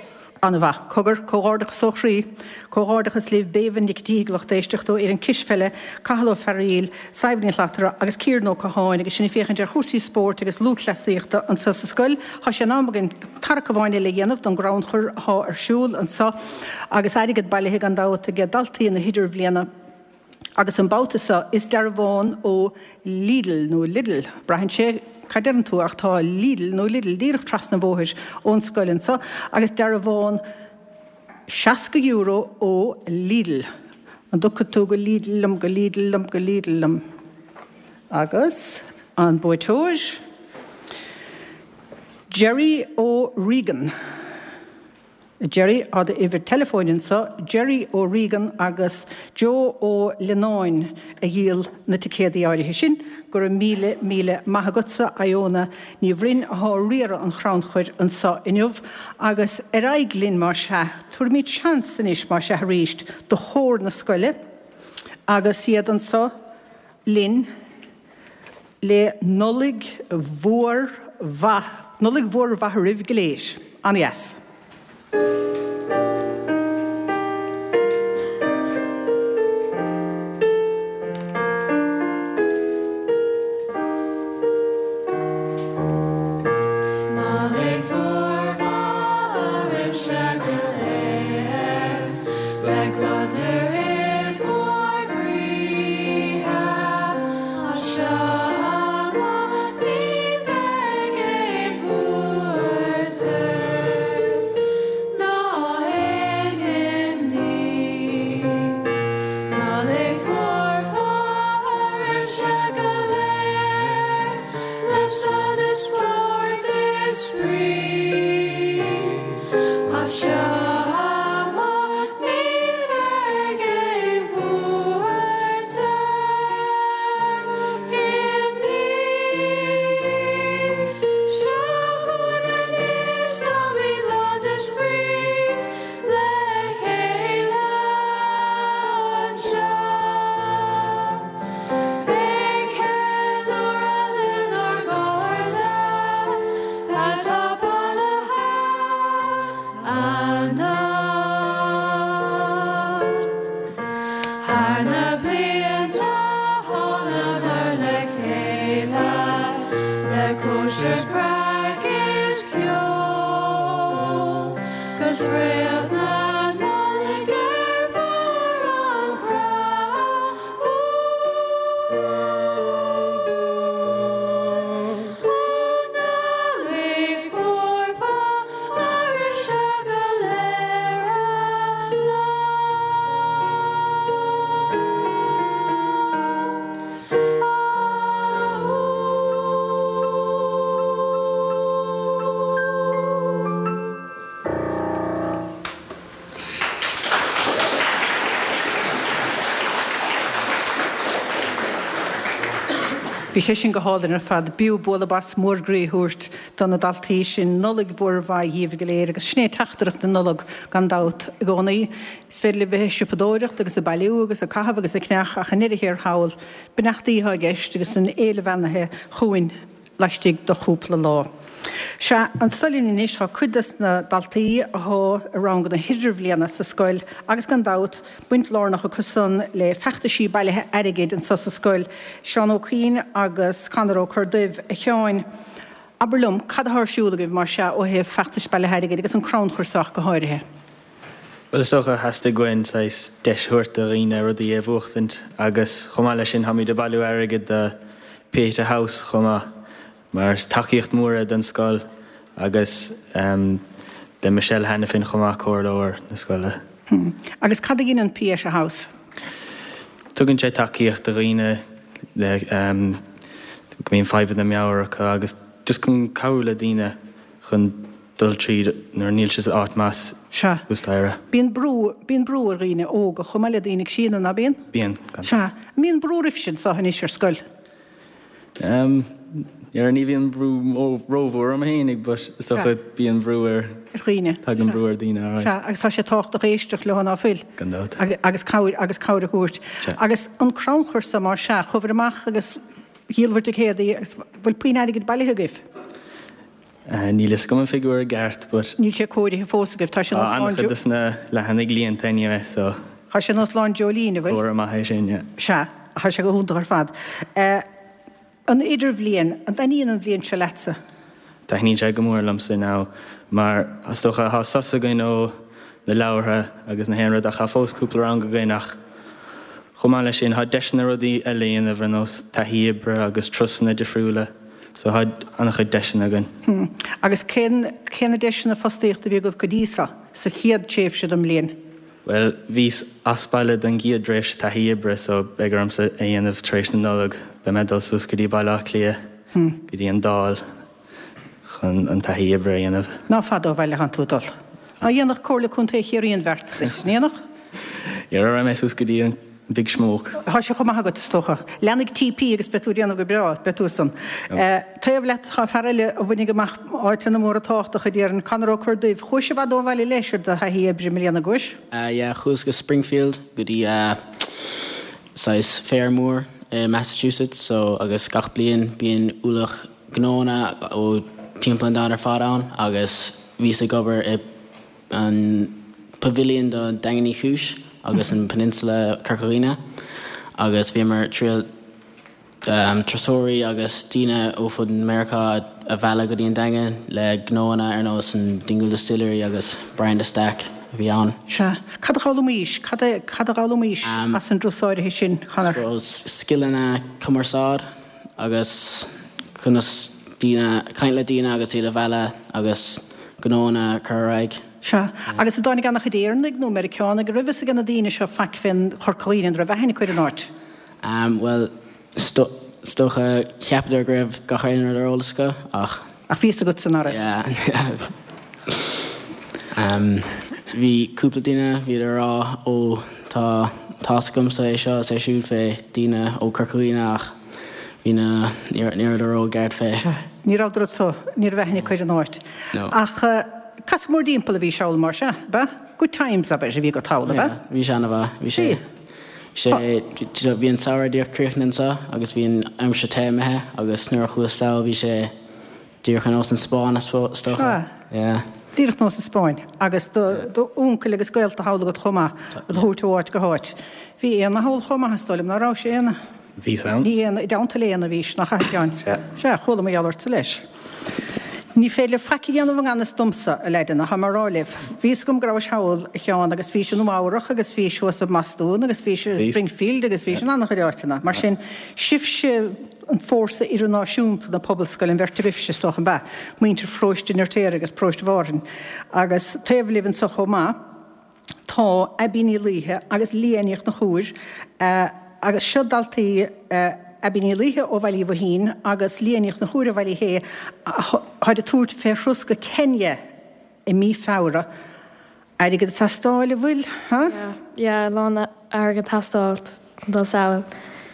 [SPEAKER 1] An-mhaith. Cogar, comhghairdeachas ó chroí. Comhghairdeachas libh Béibhinn Nic Díthigh lucht éisteachta ó fhoireann cispheile, Cathal Ó Fearaíl, Sadhbh Ní Shlatara agus Ciaran Ó Catháin agus sinn ag féachaint ar chúrsaí spóirt agus lúthchleasaíochta anseo sa scoil. Tá sé in am againn tarrac amháin eile a dhéanamh don gcrannchur atá ar siúl anseo agus airgead bailithe gan dabht ag daltaí na hidirbhliana. Agus an babhta seo is dearbhán ó Lidl, nó Lidl, braitheann sé cad deireann tú, ach tá Lidl nó Lidl díreach trasna an bhóthair ón scoil anseo, agus dearbhán €60 ó Lidl. An dtiocfaidh tú go Lidl liom, go Lidl liom, go Lidl liom? Agus an buaiteoir? Gerry O'Regan. Gerry, Tá d'uimhir teileafóin anseo, Gerry O'Regan agus Joe Ó Lionáin a dhíol na ticéadaí áirithe sin. Go raibh míle, míle maith agatsa, Iona Ní Bhroin athá ag riaradh an chrannchuir anseo inniu. Agus ar aghaidh linn más ea. Tabharfaimid seans anois más ea arís do chór na scoile agus iad anseo linn. Le Nollaig mhór mhaith, Nollaig mhór mhaith oraibh go léir. An-dheas.
[SPEAKER 6] Nollaig mhór mhaith oraibhse go léir, Le gliondar i bhur gcroíthe. As seo amach ní bheidh aon bhuairt ort ná aon imní. Nollaig mhór mhaith oraibhse go léir, le sonas, spórt is spraoi. As seo amach ní bheidh aon bhuairt ort, imní. Seo chugainn anois, táimid lán de spraoi le chéile anseo. Ag ceiliúradh lenár gcairde atá bailithe anocht. Thar na blianta thánamar le chéile le cóisir, craic is ceol 'gus réalt na Nollag ar bharr an chrainn mhóir. Ó Nollaig mhór mhaith oraibhse go léir anocht.
[SPEAKER 1] Bhí sé sin go hálainn ar fad. B'fhiú bualadh bas mór groí a thabhairt do na daltaí sin. Nollaig mhór mhaith dhíbh go léir agus sin é teachtaireacht na Nollag gan dabht i gcónaí. Is féidir libh bheith ag siopadóireacht agus ag bailiú agus ag caitheamh agus ag ceannach ach i ndeireadh thiar thall, beannachtaí atá i gceist agus an fhéile bheannaithe chugainn laistigh de chúpla lá. Sea, anso linn anois tá cuid des na daltaí athá i ranganna na hidirbhliana sa scoil agus gan dabht, baint lárnach acu san le feachtaisí bailithe airgid anso sa scoil, Seán Ó Cuinn agus Conor Ó Corrduibh. A Sheáin, abair liom, cad athá ar siúl agaibh mar sea ó thaobh feachtais bailithe airgid agus an crannchur so ach go háirithe?
[SPEAKER 7] Bhuel, is dócha, theastaigh uainn saghas deis a thabhairt do dhaoine rudaí a bhuachtaint agus chomh maith leis sin táimid ag bailiú airgid do Pieta House chomh maith mar is tacaíocht mhór é don scoil agus do Michelle Hanafin chomh maith, comhairleoir na scoile.
[SPEAKER 1] Agus cad a dheineann Pieta House?
[SPEAKER 7] Tugann sé tacaíocht do dhaoine le go mbíonn fadhbanna meabhair acu agus just chun cabhrú le daoine chun dul tríd nuair níl siad áit maith
[SPEAKER 1] Sea.
[SPEAKER 7] thuas staighre.
[SPEAKER 1] Bíonn brú, bíonn brú ar dhaoine óga chomh maith le daoine críonna, ná bíonn?
[SPEAKER 7] Bíonn, gan
[SPEAKER 1] Sea. An mbíonn brú oraibhse anseo anois ar scoil?
[SPEAKER 7] Em. Ní bhíonn brú rómhór orm fhéinig but is dócha bíonn brú ar.
[SPEAKER 1] Ar dhaoine.
[SPEAKER 7] Tagann brú ar dhaoine, alright.
[SPEAKER 1] Sea, agus tá sé tábhachtach éisteacht leo, ná fuil?
[SPEAKER 7] Gan dabht.
[SPEAKER 1] Agus cabhair, agus cabhair a thabhairt.
[SPEAKER 7] Sea.
[SPEAKER 1] Agus an crannchur so, más ea, chuabhair amach agus dhíolabhair ticéadaí agus bhfuil puinn airgid bailithe agaibh?
[SPEAKER 7] Níl fhios agam an figiúr i gceart but.
[SPEAKER 1] Níl sé comhairithe fós agaibh, tá sé nós
[SPEAKER 7] Tá
[SPEAKER 1] lán
[SPEAKER 7] an-chuid de na leathanaigh líonta anyway so.
[SPEAKER 1] Tá sé nós lán dreoilín, an bhfuil?
[SPEAKER 7] Comhartha maith é sin, yeah.
[SPEAKER 1] Sea, tá sé go hiontach ar fad. An idirbhliain, an dtaitníonn an bhliain seo leatsa?
[SPEAKER 7] Taitníonn sé go mór liomsa now mar is dócha tá sos againn ó na leabhartha agus na haon rud ach tá fós cúpla rang againn ach chomh maith leis sin tá deiseanna rudaí eile a dhéanamh ar nós taithí oibre agus turasanna difriúla so tá an-chuid deiseanna againn.
[SPEAKER 1] Agus cén cé na deiseanna fostaíochta a bhí agat go dtí seo, sa chéad tréimhse den mbliain?
[SPEAKER 7] Bhuel, bhíos as baile don gcéad dtréimhse taithí oibre so beidh ormsa é a dhéanamh tar éis na Nollag. Beidh mé ag dul suas go dtí Baile Átha Cliath, go dtí an Dáil chun an taithí oibre a dhéanamh.
[SPEAKER 1] Ná fada ó bhaile atánn tú ag dul. Ná dhéanfadh Comhairle Contae Chiarraí an bheart duit, an ndéanfadh?
[SPEAKER 7] Yeah, raghaidh mé suas go dtí an Big Smoke.
[SPEAKER 1] Tá sé chomh maith agat, is dócha. Leanfaidh TP agus beidh tú ag déanamh go breá, beidh tú san. Taobh leat tá fear eile a bhainfidh amach áiteanna móra tábhachtacha, déarfainn, Conor Ó Corrduibh. Chuais i bhfad ó bhaile leis ar do thaithí oibre i mbliana, gcuais?
[SPEAKER 8] Yeah, chuas go Springfield, go dtí saghas fair mór i Massachusetts, so agus gach bliain bíonn ualach gnóanna ó timpeall an domhain ar fad ann agus bhíos ag obair i an Pavilion do Daingean Uí Chúis agus an Peninsula Corca Dhuibhne agus bhíomar ag triail turasóirí agus daoine ó fud Meiriceá a mhealladh go dtí an Daingean le gnóanna ar nós an Dingle Distillery agus Brian de Staic a bhí ann.
[SPEAKER 1] Sea. Cad a d'fhoghlaimís? Cad a cad a d'fhoghlaimís as an dturas áirithe sin, Conor?
[SPEAKER 8] Suppose scileanna cumarsáid agus conas daoine, caint le daoine agus iad a mhealladh agus gnóanna a chur ar aghaidh.
[SPEAKER 1] Sea. Agus an dtáinig an-chuid Éireannaigh nó Meiriceánaigh, an raibh fhios ag na daoine seo faic fén Chorca Dhuibhne, an raibh aithne acu ar an áit?
[SPEAKER 8] Bhuel, is dócha, cheapadar go raibh gach aon rud ar eolas acu ach.
[SPEAKER 1] Ach bhí fhios agatsa nach raibh.
[SPEAKER 8] Yeah. Bhí cúpla duine, bhíodar ag rá ó tá tá's agamsa é seo is é siúd fé daoine ó Corca Dhuibhne ach bhí na, ní rabhadar ró-cheart fé.
[SPEAKER 1] Sea, ní rabhadar so, ní raibh aithne acu ar an áit.
[SPEAKER 8] No.
[SPEAKER 1] Ach casadh mórdtimpeall a bhís thall mar sea, ab ea? Good times, abair, a bhí agat thall, ab ea?
[SPEAKER 8] Yeah, bhí sé ana-mhaith, bhí sé, sé, bhí an samhradh díreach críochnaithe anseo agus bhí an aimsir te imithe agus nuair a chuas sall bhí sé, Díreach ar nós an Spáinn, is dócha.
[SPEAKER 1] Sea.
[SPEAKER 8] Yeah.
[SPEAKER 1] Díreach nós an Spáinn. Agus do d'uncail agus gaolta thall agat chomh maith, á dtabhairt ó áit go háit. Bhí Éanna thall chomh maith, is dóigh liom, ná raibh sé, Éanna?
[SPEAKER 7] Bhíos ann.
[SPEAKER 1] Ní Éanna, i dteannta le Éanna a bhís, nach ea, a Sheáin?
[SPEAKER 7] Sea.
[SPEAKER 1] Sea, chuala mar gheall ortsa leis. Ní féidir libh faic a dhéanamh i ngan fhios domsa, a leaideanna, tá mé a rá libh. Bhí fhios agam go rabhais thall, a Sheáin, agus bhís i Nua Eabhrach agus bhís thuas i mBostún agus bhís i Springfield agus bhís in an-chuid áiteanna. Mar sin, sibhse, an fórsa idirnáisiúnta na pobalscoile, an bheirt agaibhse, is dócha, ab ea? Muintir Pharóiste an Fheirtéaraigh agus Paróiste Mhárthain. Agus taobh libh anseo chomh maith tá Abbie Ní Laoithe agus Leah Ní Chonchúir agus seo daltaí Abbie Ní Laoithe ó Bhaile Uí Bhoithín agus Leah Ní Chonchúir ó Bhaile Uí Shé atáid ag tabhairt fé thuras go Kenya i mí Feabhra. Airgead ag teastáil, an bhfuil? Ha?
[SPEAKER 5] Yeah, yeah, a lán airgead ag teastáil dul sall.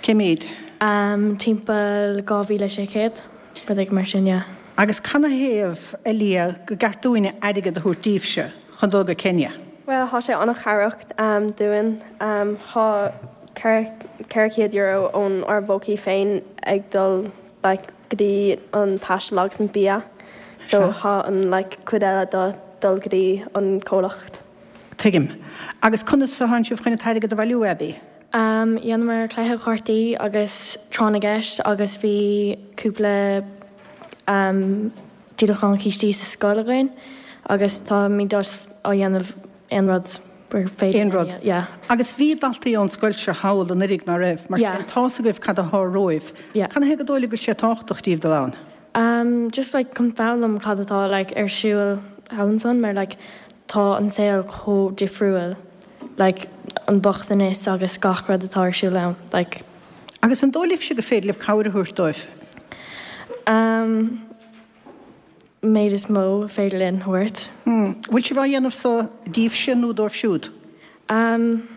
[SPEAKER 1] Cé méid?
[SPEAKER 5] Um, timpeall 2,600, rud éigin mar sin, yeah.
[SPEAKER 1] Agus canathaobh, a Leah, go gceart dúinne airgead a thabhairt daoibhse chun dul go Kenya?
[SPEAKER 9] Bhuel, thá sé an-chabhrach dúinn. Thá €400 ón ár bpócaí féin ag dul like go dtí an taisteal agus an bia so thá an like cuid eile do dul go dtí an comhlacht.
[SPEAKER 1] Tuigim. Agus conas a thánn sibh chun an t-airgead a bhailiú, Abbie?
[SPEAKER 5] Umm dhéanamar cluiche chártaí agus tráth na gceist agus bhí cúpla umm díolachán cístí sa scoil againn agus táimid just á dhéanamh aon rud gur féidir
[SPEAKER 1] Aon rud.
[SPEAKER 5] Yeah.
[SPEAKER 1] Agus bhí daltaí ón scoil seo thall anuraidh, ná raibh? Mar
[SPEAKER 5] Yeah.
[SPEAKER 1] sin, tá's agaibh cad athá romhaibh.
[SPEAKER 5] Yeah.
[SPEAKER 1] Canathaobh gur dóigh libh go bhfuil sé tábhachtach díbh dul ann?
[SPEAKER 5] Um, just like chun foghlaim cad atá like ar siúl thall ansan mar like tá an saol chomh difriúil like an bochtanas agus gach rud atá ar siúl ann like.
[SPEAKER 1] Agus an dóigh libhse gur féidir libh cabhair a thabhairt dóibh?
[SPEAKER 5] Um, méid is mó féidir linn thabhairt.
[SPEAKER 1] Bhfuil sibh á dhéanamh so díbhse nó dóibh siúd?
[SPEAKER 5] Um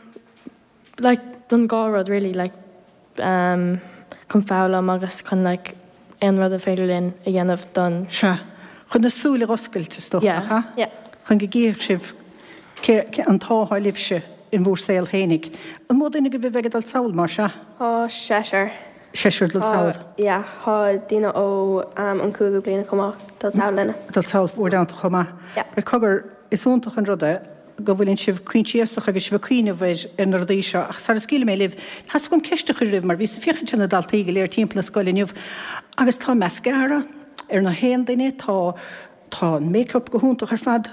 [SPEAKER 5] like don dhá rud really like um chun foghlaim agus chun like. aon rud a féidir linn a dhéanamh don.
[SPEAKER 1] Sea. Chun na súile a dh'oscailt, is dócha, nach ea?
[SPEAKER 5] Yeah.
[SPEAKER 1] Chun go gcífeadh sibh cé, cé, an t-ádh atá libhse in bhur saol fhéinig. An mó duine agaibh a bheidh ag dul sall, más ea?
[SPEAKER 9] Tá seisear.
[SPEAKER 1] Seisear ag dul sall.
[SPEAKER 9] Yeah, tá daoine ó an cúigiú bliain chomh maith ag dul sall linne.
[SPEAKER 1] Ag dul sall bhur dteannta chomh maith.
[SPEAKER 9] Yeah.
[SPEAKER 1] Bhuel, cogar, is iontach an rud é go bhfuileann sibh coinsiasach agus sibh ag cuimhneamh ar ar na rudaí seo ach sara scaoilfidh mé libh, theastaigh uaim ceist a chur oraibh mar bhíos ag féachaint ar na daltaí go léir timpeall na scoile inniu agus tá mascara ar na haon duine, tá tá an make-up go hiontach ar fad.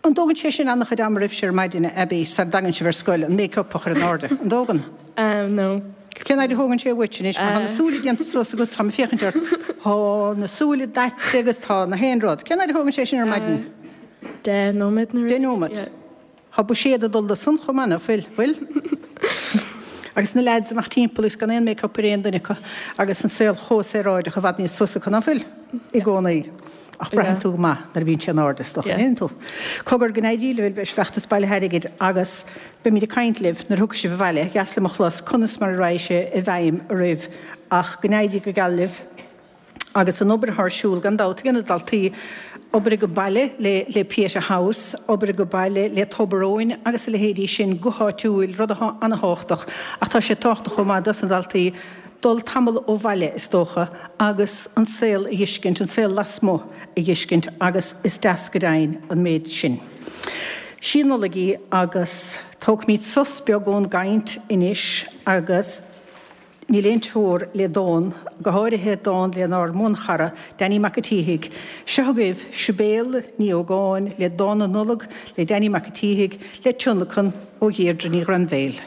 [SPEAKER 1] An dtógann sé sin an-chuid ama oraibhse ar maidin, a Abby, sara dtagann sibh ar scoil, an make-up a chur in airde? An dtógann?
[SPEAKER 5] No.
[SPEAKER 1] Cén fhaid a thógann sé uait anois? Mar tá na súile déanta suas agat, táim ag féachaint ort, tá na súile daite agus tá na haon rud. Cén fhaid a thógann sé sin ar maidin?
[SPEAKER 5] 10 nóiméad nó
[SPEAKER 1] 10 nóiméad. Tá buiséad ag dul do san chomh maith, ná fuil? Bhfuil? Agus na leaids amach timpeall is gan aon make-up ar aon duine acu agus an saol chomh saoráideach i bhfad níos fusa acu, ná fuil? I gcónaí. Ach braitheann tú go maith nuair a bhíonn sé in airde, is dócha, an ndéanann tú? Cogar, go n-éirí libh leis an bhfeachtas bailithe airgid agus beimid ag caint libh nuair a thiocfaidh sibh abhaile, dheas liom a chlos conas mar a raghaidh sé i bhfeidhm oraibh ach go n-éirí go geal libh. Agus an obair atá ar siúl, gan dabht, ag na daltaí, obair age baile le le Pieta House, obair age baile le Tobar Eoin agus a leithéidí sin go háitiúil, rud atá ana-thábhachtach. Ach tá sé tábhachtach chomh maith dos na daltaí dul tamall ó bhaile, is dócha, agus an saol a dh'fheiscint, an saol lasmuigh a dh'fheiscint agus is deas go deimhin an méid sin. Sí an Nollaig í agus tógfaimid sos beag ón gcaint anois agus. Níl aon teora le dán, go háirithe dán lenár mbuanchara, Danny Mac a' tSíthigh. Seo agaibh Sibéal Ní Ógáin le Dán na Nollag le Danny Mac a' tSíthigh le tionlacan ó Dheirdre Ní Ghrainbhéil.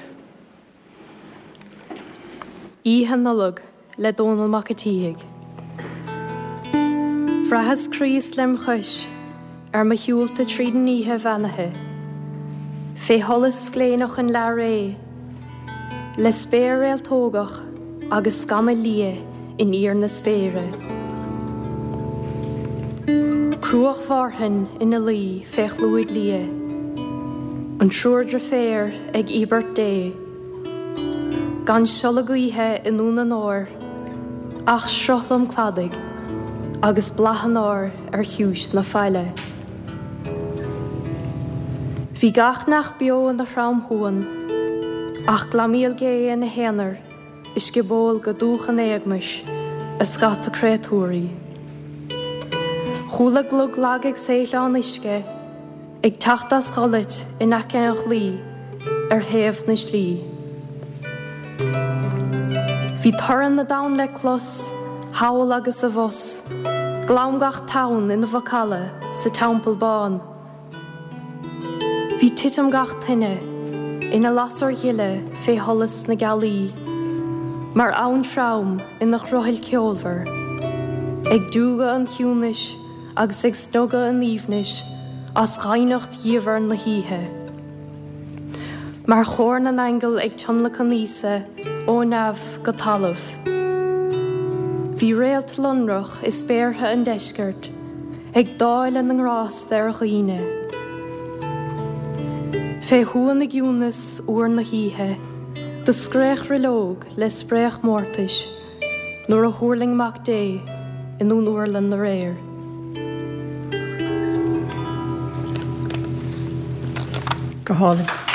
[SPEAKER 5] Oíche Nollag le Dónall Mac a' tSíthigh. Bhraitheas Críost lem chois ar mo shiúlta tríd an oíche bheannaithe, fé sholas gléineach an leath-ré, le spéir réaltógach agus scamaill liath in íor na spéire. Cruach Mhárthain ina luí fé chlúid liath, an triúr driféar ag íobairt Dé, gan siolla gaoithe i nDún an Óir ach sruthlum cladaigh agus blath an áir ar chiúis na faille. Bhí gach neach beo ina thromshuan, ach glamaíl gé ina haonar i scioból go dúch an éagmais a scata créatúirí. Chuala glug lag ag saothleán uisce ag teacht as dholait in aice an chlaí ar thaobh na slí. Bhí torann na dtonn le clos, thall agus abhus, glam gach tonn ina mhacalla sa Teampall Bán. Bhí titim gach toinne ina lasair ghile fé sholas na gealaí, mar abhainn throm ina crothaill ceolmhar, ag diúgadh an chiúnais agus ag snogadh an aoibhnis as dhoimhneacht dhiamhair na hoíche. Mar chór na n-aingeal ag tionlacan Íosa ó neamh go talamh. Bhí réalt lonrach i spéartha an deiscirt ag dáileadh na ngrásta ar dhaoine. Fé shuan i gciúnas fhuar na hoíche, do scréach roilleog le spréach mórtais, Nuair a thuirling Mac Dé i nDún Urlann aréir.
[SPEAKER 1] Go hálainn.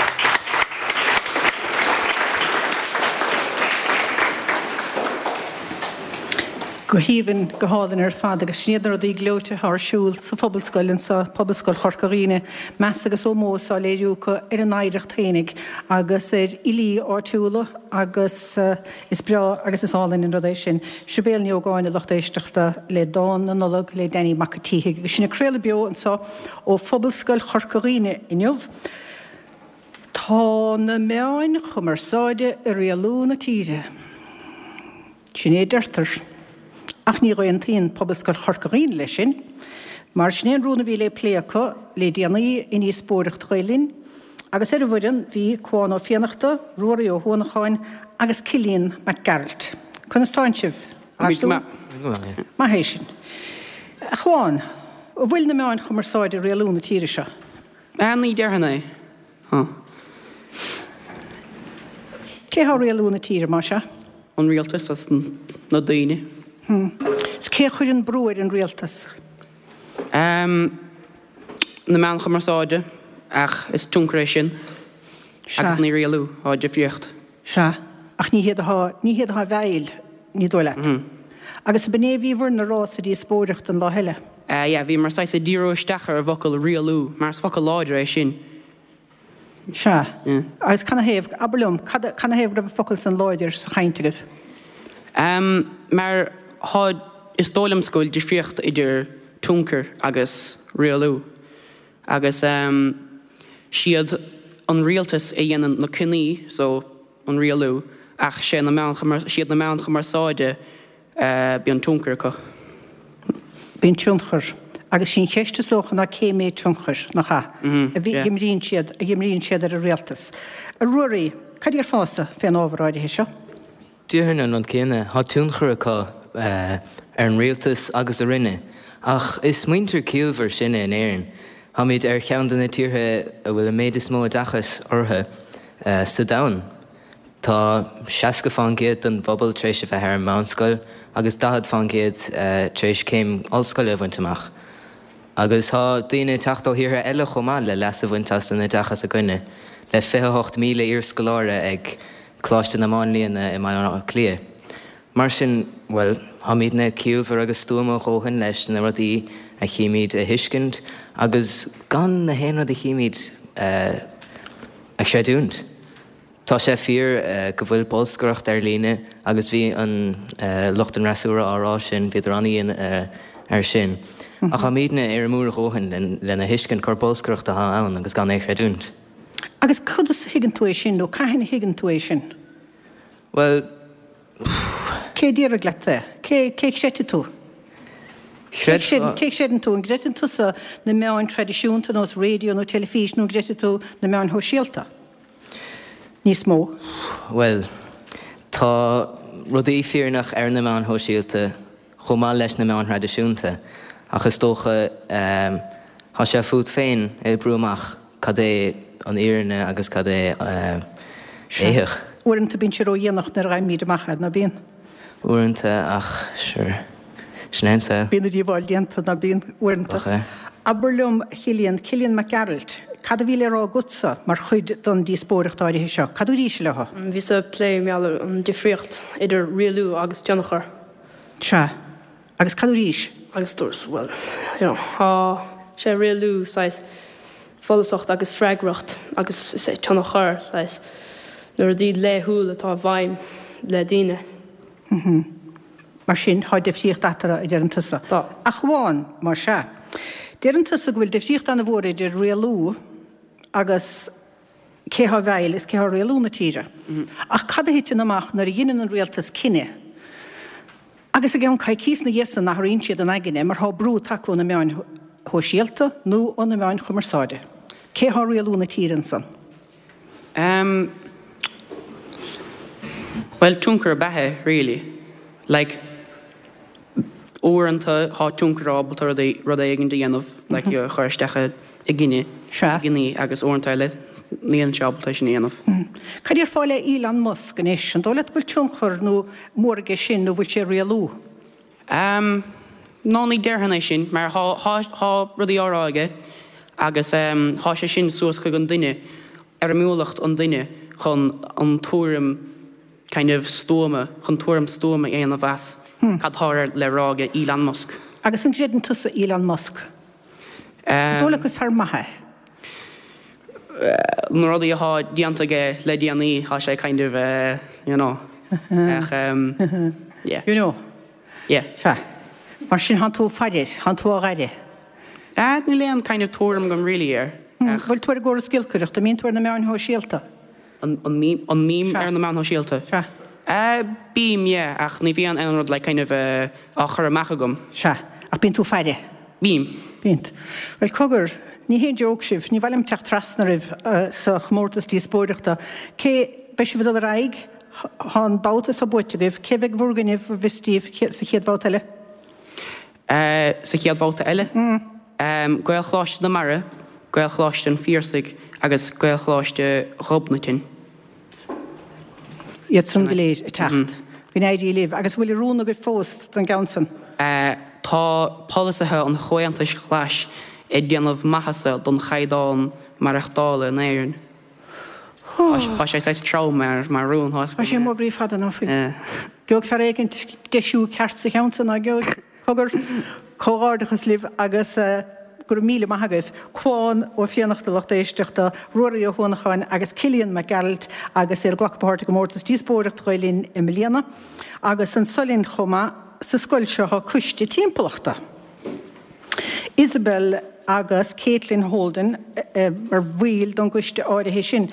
[SPEAKER 1] Go haoibhinn, go hálainn ar fad agus sin iad na rudaí gleoite atá ar siúl sa Phobalscoil anseo, Pobalscoil Chorca Dhuibhne. Meas agus ómós á léiriú acu ar a n-oidhreacht fhéinig agus ar fhilí áitiúla agus Is breá agus is álainn an rud é sin. Sibéal Ní Ógáin, a lucht éisteachta, le Dán na Nollag le Danny Mac a' tSíthigh. Agus sinn ag craoladh beo anseo ó Phobalscoil Chorca Dhuibhne inniu. Tá na meáin chumarsáide ag rialú na tíre. Sin é a deirtear. Ach ní aontaíonn Pobalscoil Chorca Dhuibhne leis sin, mar sin é an rún a bhí le plé acu le déanaí i ndíospóireacht Ghael Linn, agus ar an bhfoireann bhí Cuán Ó Fiannachta, Ruairí Ó hUanacháin agus Cillian Mac Gearailt. Conas tánn sibh?
[SPEAKER 4] Go maith.
[SPEAKER 1] Maith é sin. A Chuáin, an bhfuil na meáin chumarsáide ag rialú na tíre seo?
[SPEAKER 4] Ní déarfainn é. Tá.
[SPEAKER 1] Cé thá ag rialú na tíre, más ea?
[SPEAKER 4] An rialtas agus na daoine.
[SPEAKER 1] Cé a chuireann brú ar an rialtas?
[SPEAKER 4] Na meáin chumarsáide, ach is tionchar é sin agus ní rialú, tá difríocht.
[SPEAKER 1] Sea, ach ní hiad atá, ní hiad atá i bhfeighil, ní dóigh leat. Agus ab in é a bhíobhair-ne a rá sa díospóireacht an lá eile?
[SPEAKER 4] Yeah, bhíomar saghas ag díriú isteach ar an bhfocal rialú, mar is focal láidir é sin.
[SPEAKER 1] Sea. Agus canathaobh, abair liom, cad, canathaobh go raibh an focal san láidir sa chaint agaibh?
[SPEAKER 4] Em, mar thá, is dóigh liomsa go bhfuil difríocht idir tionchar agus rialú. Agus, em, siad an rialtas a dhéanann na cinní, so, an rialú, ach sé na meáin, siad na meáin chumarsáide Bíonn tionchar acu.
[SPEAKER 1] Bíonn tionchar. Agus sí an cheist is dócha ná cé méid tionchair, nach ea, a imríonn siad, a imríonn siad ar an rialtas. A Ruairí, cad déarfása fén ábhar áirithe seo?
[SPEAKER 7] Déarfainn an rud céanna. Tá tionchar acu ar an rialtas agus orainne. Ach is muintir ciallmhar sinne in Éirinn. Táimid ar cheann de na tíortha a bhfuil an méid is mó oideachais orthu sa domhan. Tá 60% den bpobal tar éis a bheith ar an meánscoil agus 40% tar éis céim ollscoile a bhaint amach. Agus tá daoine ag teacht ó thíortha eile chomh maith le leas a bhaint as an oideachas againne, le 28,000 iarscoláire ag Coláiste na Máinlianna i mBaile Átha Cliath. Mar sin, bhuel, táimidne ciallmhar agus stuama a dhóthain leis na rudaí a chímid a thuiscint agus gan na haon rud a chímid a chreidiúint. Tá sé fíor go bhfuil bolscaireacht ar líne agus bhí an lucht an fhreasúra á rá sin, bhíodar an-dhian air sin. Ach táimidne éirimiúil a dhóthain lena thuiscint gur bolscaireacht atá ann agus gan é a chreidiúint.
[SPEAKER 1] Agus conas a thuigeann tú é sin nó cathain a thuigeann tú é sin?
[SPEAKER 7] Bhuel.
[SPEAKER 1] Cé a déarfaidh leat é? Cé cé chreidfidh tú? Cé a chreideann tú? An gcreideann tusa na meáin traidisiúnta nós raidió nó teilifís nó an gcreideann tú na meáin shóisialta? níos mó?
[SPEAKER 7] Bhuel, tá rudaí fírinneach ar na meáin shóisialta chomh maith leis na meáin thraidisiúnta, ach is dócha tá sé fút féin a oibriú amach cad é an fhírinne agus cad é éitheach.
[SPEAKER 1] Uaireanta bíonn sé ródhéanach nuair a fhaighimid amach é, ná bíonn?
[SPEAKER 7] Uaireanta, ach sure, sin é an saol.
[SPEAKER 1] Bíonn an díobháil déanta, ná bíonn, uaireanta.
[SPEAKER 7] Ach é.
[SPEAKER 1] Abair liom, a Chillian, Cillian Mac Gearailt, cad a bhí le rá agatsa mar chuid den díospóireacht áirithe seo? Cad dúraís leo?
[SPEAKER 5] Bhíos ag plé mar gheall ar an difríocht idir rialú agus tionchar.
[SPEAKER 1] Sea. Agus cad dúraís?
[SPEAKER 5] Agus dúirt, bhuel, you know, tá sé rialú saghas follasacht agus freagracht agus is é tionchar saghas na rudaí laethúil atá i bhfeidhm le daoine.
[SPEAKER 1] Mm-hmm. Mar sin, tá difríocht eatarthu, a deireann tusa.
[SPEAKER 5] Tá.
[SPEAKER 1] Ach amháin, más ea. Deireann tusa go bhfuil difríocht an-mhór idir rialú agus cé thá i bhfeighil is cé thá ag rialú na tíre. Ach cad a thiteann amach nuair a dheineann an rialtas cinneadh Agus i gceann coicíos na dhiaidh san athraíonn siad a n-aigne mar thá brú tagtha ó na meáin shóisialta nó ó na meáin chumarsáide. Cé thá ag rialú na tíre ansan?
[SPEAKER 4] Em. Bhuel, tionchar ab ea é, really. Like, uaireanta thá tionchar ábalta rudaí, rud éigin a dhéanamh, like, a chur isteach i gcinneadh,
[SPEAKER 1] Sea.
[SPEAKER 4] i gcinní agus uaireanta eile níl sé ábalta é sin a dhéanamh.
[SPEAKER 1] Cad déarfá le Elon Musk anois? An dóigh leat go bhfuil tionchar nó mór aige sin nó bhfuil sé ag rialú?
[SPEAKER 4] Ehm, no ní déarfainn é sin mar thá, thá, thá rudaí á rá aige agus ehm thá sé sin suas chuig an duine, éirimiúlacht an duine chun an tuairim kind of stuama, chun tuairim stuama a dhéanamh as cad tá le rá aige Elon Musk.
[SPEAKER 1] Agus an gcreideann tusa Elon Musk? An dóigh leat gur fear maith é?
[SPEAKER 4] Na rudaí athá déanta aige le déanaí, thá sé kind of you know. Ach yeah.
[SPEAKER 1] You know.
[SPEAKER 4] Yeah.
[SPEAKER 1] Sea. Mar sin thánn tú ag faire air, thánn tú á dh'aire.
[SPEAKER 4] Ah, níl aon kind of tuairim agam really air.
[SPEAKER 1] Ach. Bhfuil tú ar an gcóras giolcaireachta? An mbíonn tú ar na meáin shóisialta?
[SPEAKER 4] An mbím ar na meáin shóisialta?
[SPEAKER 1] Sea.
[SPEAKER 4] Bím, yeah, ach ní bhíonn aon rud like kind of á chur amach agam.
[SPEAKER 1] Sea. Ach bíonn tú ag faire?
[SPEAKER 4] Bím.
[SPEAKER 1] Bíonn. Bhuel, cogar, ní haon joke sibh, ní mhaith liom teacht trasna oraibh sa chomórtas díospóireachta. Cé, beidh sibh ag dul ar aghaidh, thá an babhta seo buaite agaibh, cé bheidh bhur gcoinnibh, an bhfios daoibh, sa chéad bhabhta eile?
[SPEAKER 4] Sa chéad bhabhta eile? Gaelcholáiste na Mara, Gaelcholáiste an Phiarsaigh agus Gaelcholáiste Ghobnatan.
[SPEAKER 1] Iad san go léir ag teacht. Go n-éirí libh. Agus an bhfuil rún agaibh fós don gceann san?
[SPEAKER 4] tá polasaithe an Chomhaontais Ghlais ag déanamh maitheasa don chaighdeán maireachtála in Éirinn. Tá sé saghas trom mar rún,
[SPEAKER 1] tá sé mór groí fada ná fuil. Gheobhaidh fear éigint deisiú ceart sa cheann san, ná gheobhaidh? Cogar, comhghairdeachas libh agus go raibh míle maith agaibh. Cuán Ó Fiannachta lucht éisteachta, Ruairí Ó hUanacháin agus Cillian Mac Gearailt agus iad ag glacadh páirt i gcomórtas Díospóireacht Ghael Linn i mbliana. Agus anso linn chomh maith sa scoil seo tá coiste timpeallachta. Isabel agus Caitlin Holden mar bhaill don gcoiste áirithe sin.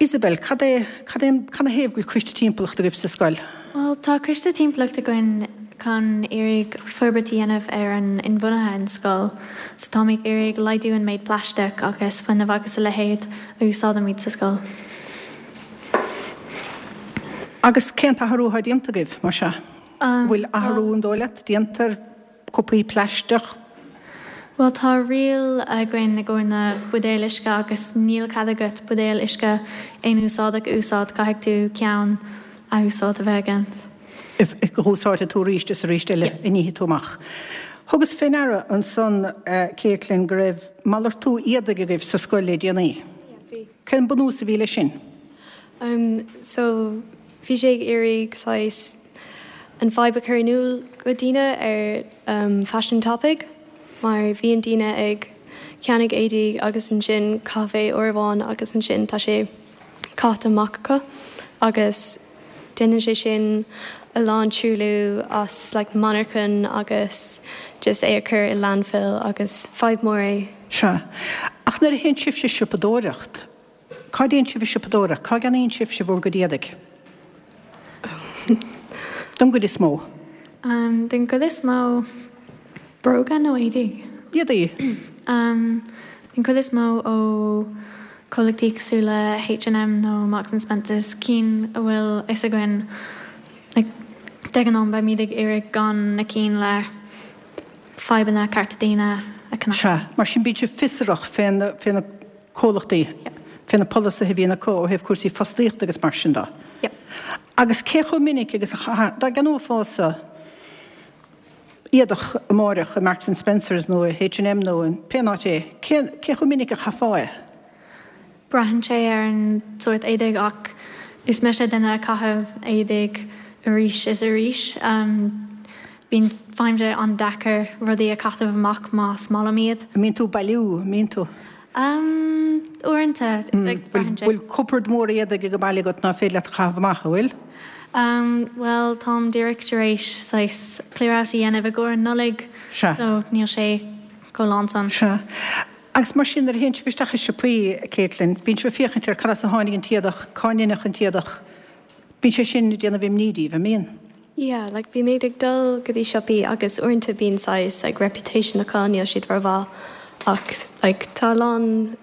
[SPEAKER 1] Isabel, cad é, cad é, canathaobh go bhfuil coiste timpeallachta agaibh sa scoil?
[SPEAKER 5] Bhuel, tá coiste timpeallachta againn chun iarraidh forbairt a dhéanamh ar an inbhuanaithe in scoil. So táimid ag iarraidh laghdú an méid plaisteach agus fuinneamh agus a leithéid a úsáidimid sa scoil.
[SPEAKER 1] Agus cén t-athrú atá déanta agaibh, más ea? An bhfuil athrú, an dóigh leat, déanta ar cupaí plaisteach?
[SPEAKER 5] Bhuel, tá riail againn i gcomhair na buidéil uisce agus níl cead agat buidéal uisce aon úsáideach a úsáid, caithfidh tú ceann athúsáid a bheith again.
[SPEAKER 1] a úsáidfidh tú arís is arís eile a nífidh tú amach. Thugas fé ndeara ansan, Caitlin, go raibh malartú éadaigh agaibh sa scoil le déanaí.
[SPEAKER 10] Yeah, bhí.
[SPEAKER 1] Cén bunús a bhí leis sin?
[SPEAKER 10] Um, so, bhí sé ag iarraidh saghas an fadhb a chur in iúl go daoine ar um faisean tapaidh mar bhíonn daoine ag ceannaigh éadaí agus ansin caitheamh é uair amháin agus ansin tá sé caite amach acu agus déanann sé sin a lán truailliú as like monarchan agus just é a chur i landfill agus fadhb mór é.
[SPEAKER 1] Sea. Ach nuair a théann sibhse siopadóireacht, Cá dtéann sibh ag siopadóireacht? Cá gceannaíonn sibhse bhur gcuid éadaigh? Don gcuid is mó.
[SPEAKER 5] Den gcuid is mó, bróga nó éadaí?
[SPEAKER 1] Éadaí.
[SPEAKER 5] Den chuid is mó ó chomhlachtaí cosúil le H&M nó Marks and Spencers, cinn a bhfuil fhios againn, like, de ghnáth beimid ag iarraidh gan na cinn le fadhbanna cearta daonna a cheannach.
[SPEAKER 1] Sea, mar sin bíonn sibh fiosrach fé na comhlachtaí, fé na polasaithe a bhíonn acu ó thaobh cúrsaí fostaíochta agus mar sin de. Agus cé chomh minic agus a, dá gceannófása éadach amáireach i Marks and Spencers nó i H&M nó in pé áit é, cé, cé chomh minic a chaithfeá é?
[SPEAKER 5] Braitheann sé ar an sórt éadaigh ach is mise duine a chaitheamh éadaigh arís is arís. Bíonn, faighim sé an-deacair rudaí a chaitheamh amach más maith liom iad.
[SPEAKER 1] An mbíonn tú ag bailiú, an mbíonn tú?
[SPEAKER 5] Uaireanta, like, braitheann sé.
[SPEAKER 1] Bhfuil cupard mór éadaigh ag baile agat ná féidir leat a chaitheamh amach, an bhfuil?
[SPEAKER 5] Bhuel, táim díreach tar éis saghas clear out a dhéanamh i gcomhair an Nollaig, so níl sé chomh lán san.
[SPEAKER 1] Sea. Agus mar sin, nuair a théann sibh isteach i siopaí, Caitlin, bíonn sibh ag féachaint ar cad as a tháinig an t-éadach, cá ndeineadh an t-éadach, bíonn sé sin ag déanamh imní díbh, an mbíonn?
[SPEAKER 10] Yeah, like bímid ag dul go dtí siopaí agus uaireanta bíonn saghas like reputation acu, níl siad rómhaith ach like tá a lán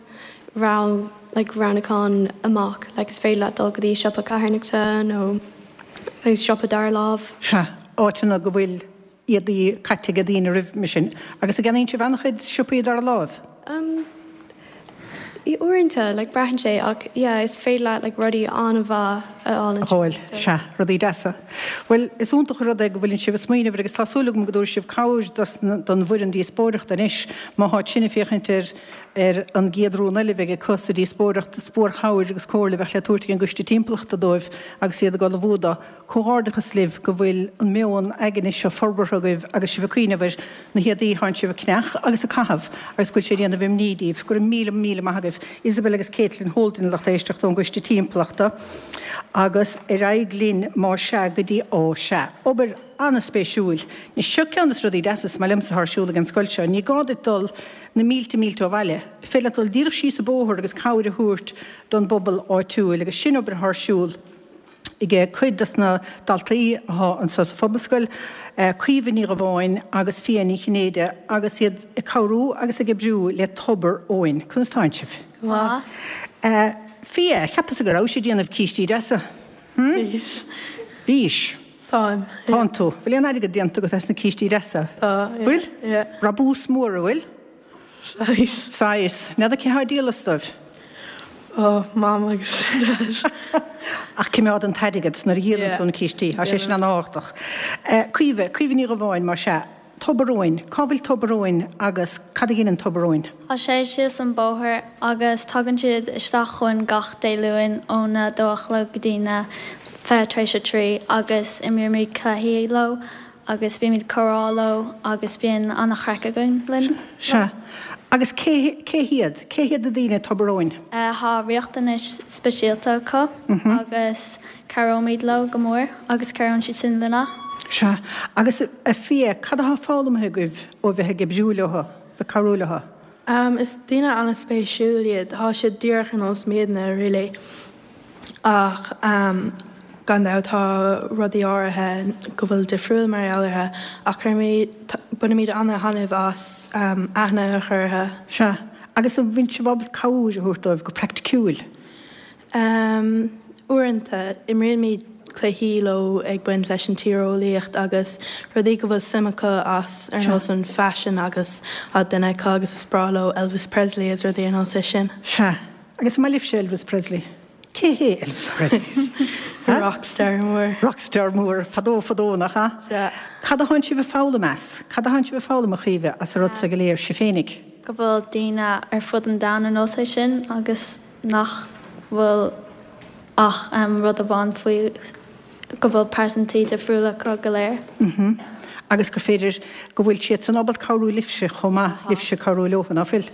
[SPEAKER 10] rogha like roghnúchán amach, like is féidir leat dul go dtí siopa carthanachta nó saghas siopa dara lámh.
[SPEAKER 1] Sea, áiteanna go bhfuil éadaí caite ag daoine roimhe sin. Agus an gceannaíonn sibh an-chuid siopaí dara láimh?
[SPEAKER 10] Um, uaireanta, like braitheann sé ach yeah is féidir leat like rudaí an-mhaith a fháil
[SPEAKER 1] ansin. A fháil, sea, rudaí deasa. Bhuel, is iontach an rud é go bhfuileann sibh ag smaoineamh air agus tá súil agam go dtabharfaidh sibh cabhair dos na, don bhfoireann díospóireachta anois má tháid sin ag féachaint ar, ar an gcéad rún eile a bheidh acu sa díospóireacht. Is mórchabhair agus comhairle a bheadh le tabhairt ag an gCoiste Timpeallachta dóibh agus iad ag ullmhú dó. Comhghairdeachas libh go bhfuil an meon aigne seo forbartha agaibh agus sibh ag cuimhneamh ar na héadaí atánn sibh ag ceannach agus ag caitheamh agus go bhfuil sé ag déanamh imní díbh. Go raibh míle míle maith agaibh. Isabel agus Caitlin Holden lucht éisteachta ón gCoiste Timpeallachta agus ar aghaidh linn más sea go dtí, ó sea, obair an-spéisiúil. Anois seo ceann de na rudaí deasa is maith liomsa atá ar siúl ag an scoil seo. Ní gá duit dul na mílte mílte ó bhaile. Is féidir leat dul díreach síos an bóthar agus cabhair a thabhairt don bpobal áitiúil agus sin obair atá ar siúl ag cuid dos na daltaí atá anseo sa Phobalscoil, Caoimhe Ní Dhubháin agus Fia Ní Chinnéide agus iad ag cabhrú agus ag oibriú le Tobar Eoin. Conas tánn sibh?
[SPEAKER 5] Go maith.
[SPEAKER 1] Fia, cheapas-sa go rabhais ag déanamh cístí deasa?
[SPEAKER 11] Hm? Bhíos.
[SPEAKER 1] Bhís.
[SPEAKER 11] Táim.
[SPEAKER 1] Tánn tú. Bhfuil aon airgead déanta agat as na cístí deasa?
[SPEAKER 11] Tá, yeah.
[SPEAKER 1] Bhfuil?
[SPEAKER 11] Yeah.
[SPEAKER 1] Brabús mór, an bhfuil?
[SPEAKER 11] Saghas.
[SPEAKER 1] Saghas. N'fheadar cé thá ag díol astu?
[SPEAKER 5] Oh, Mam agus Dad.
[SPEAKER 1] Ach coimeád an t-airgead nuair a dhíolann tú na cístí. Tá sé sin an-tábhachtach. Caoimhe, Caoimhe Ní Dhubháin, más ea. Tobar Eoin. Cá bhfuil Tobar Eoin agus cad a dheineann Tobar Eoin?
[SPEAKER 11] Tá sé síos an bóthar agus tagann siad isteach chugainn gach Dé Luain óna dó a chlog go dtí na 3:20 tar éis agus imrímid cluichí leo agus bímid comhrá leo agus bíonn an-chraic againn linn.
[SPEAKER 1] Sea. Agus cé, cé hiad? Cé hiad na daoine i Tobar Eoin?
[SPEAKER 11] Tá riachtanais speisialta acu agus Cabhróimid leo go mór agus cabhraíonn siad sin linne.
[SPEAKER 1] Sea. Agus, a Phia, cad atá foghlamtha agaibh ó bheith ag oibriú leo, bheith ag cabhrú leo?
[SPEAKER 5] Is daoine an-spéisiúil iad. Tá siad díreach ar nós muidne, really. Ach gan dabht tá rudaí áirithe go bhfuil difriúil mar gheall orthu. Ach cuirimid, bainimid an-thaitneamh as aithne a chur orthu.
[SPEAKER 1] Sea. Agus an bhfuil sibh ábalta cabhair a thabhairt dóibh go praiticiúil?
[SPEAKER 5] Uaireanta, imrímid cluichí leo ag baint leis an tíreolaíocht agus rudaí go bhfuil suim acu as, ar nós an faisean agus tá duine acu agus is breá leo Elvis Presley agus rudaí ar nós é sin.
[SPEAKER 1] Sea. Agus an maith libhse Elvis Presley? Cé hé Elvis Presley?
[SPEAKER 5] Rockstar mór.
[SPEAKER 1] Rockstar mór, fadó fadó, nach ea?
[SPEAKER 5] Sea.
[SPEAKER 1] Cad a thánn sibh ag foghlaim as? Cad a thánn sibh ag foghlaim, a Chaoimhe, as an rud so go léir, sibh féinig?
[SPEAKER 11] Go bhfuil daoine ar fud an domhain ar nós é sin agus. nach bhfuil ach rud amháin faoi, go bhfuil pearsantaí difriúla acu go léir.
[SPEAKER 1] Mm-hmm. Agus gur féidir go bhfuil siad san ábalta cabhrú libhse chomh maith, libhse cabhrú leo, ná fuil?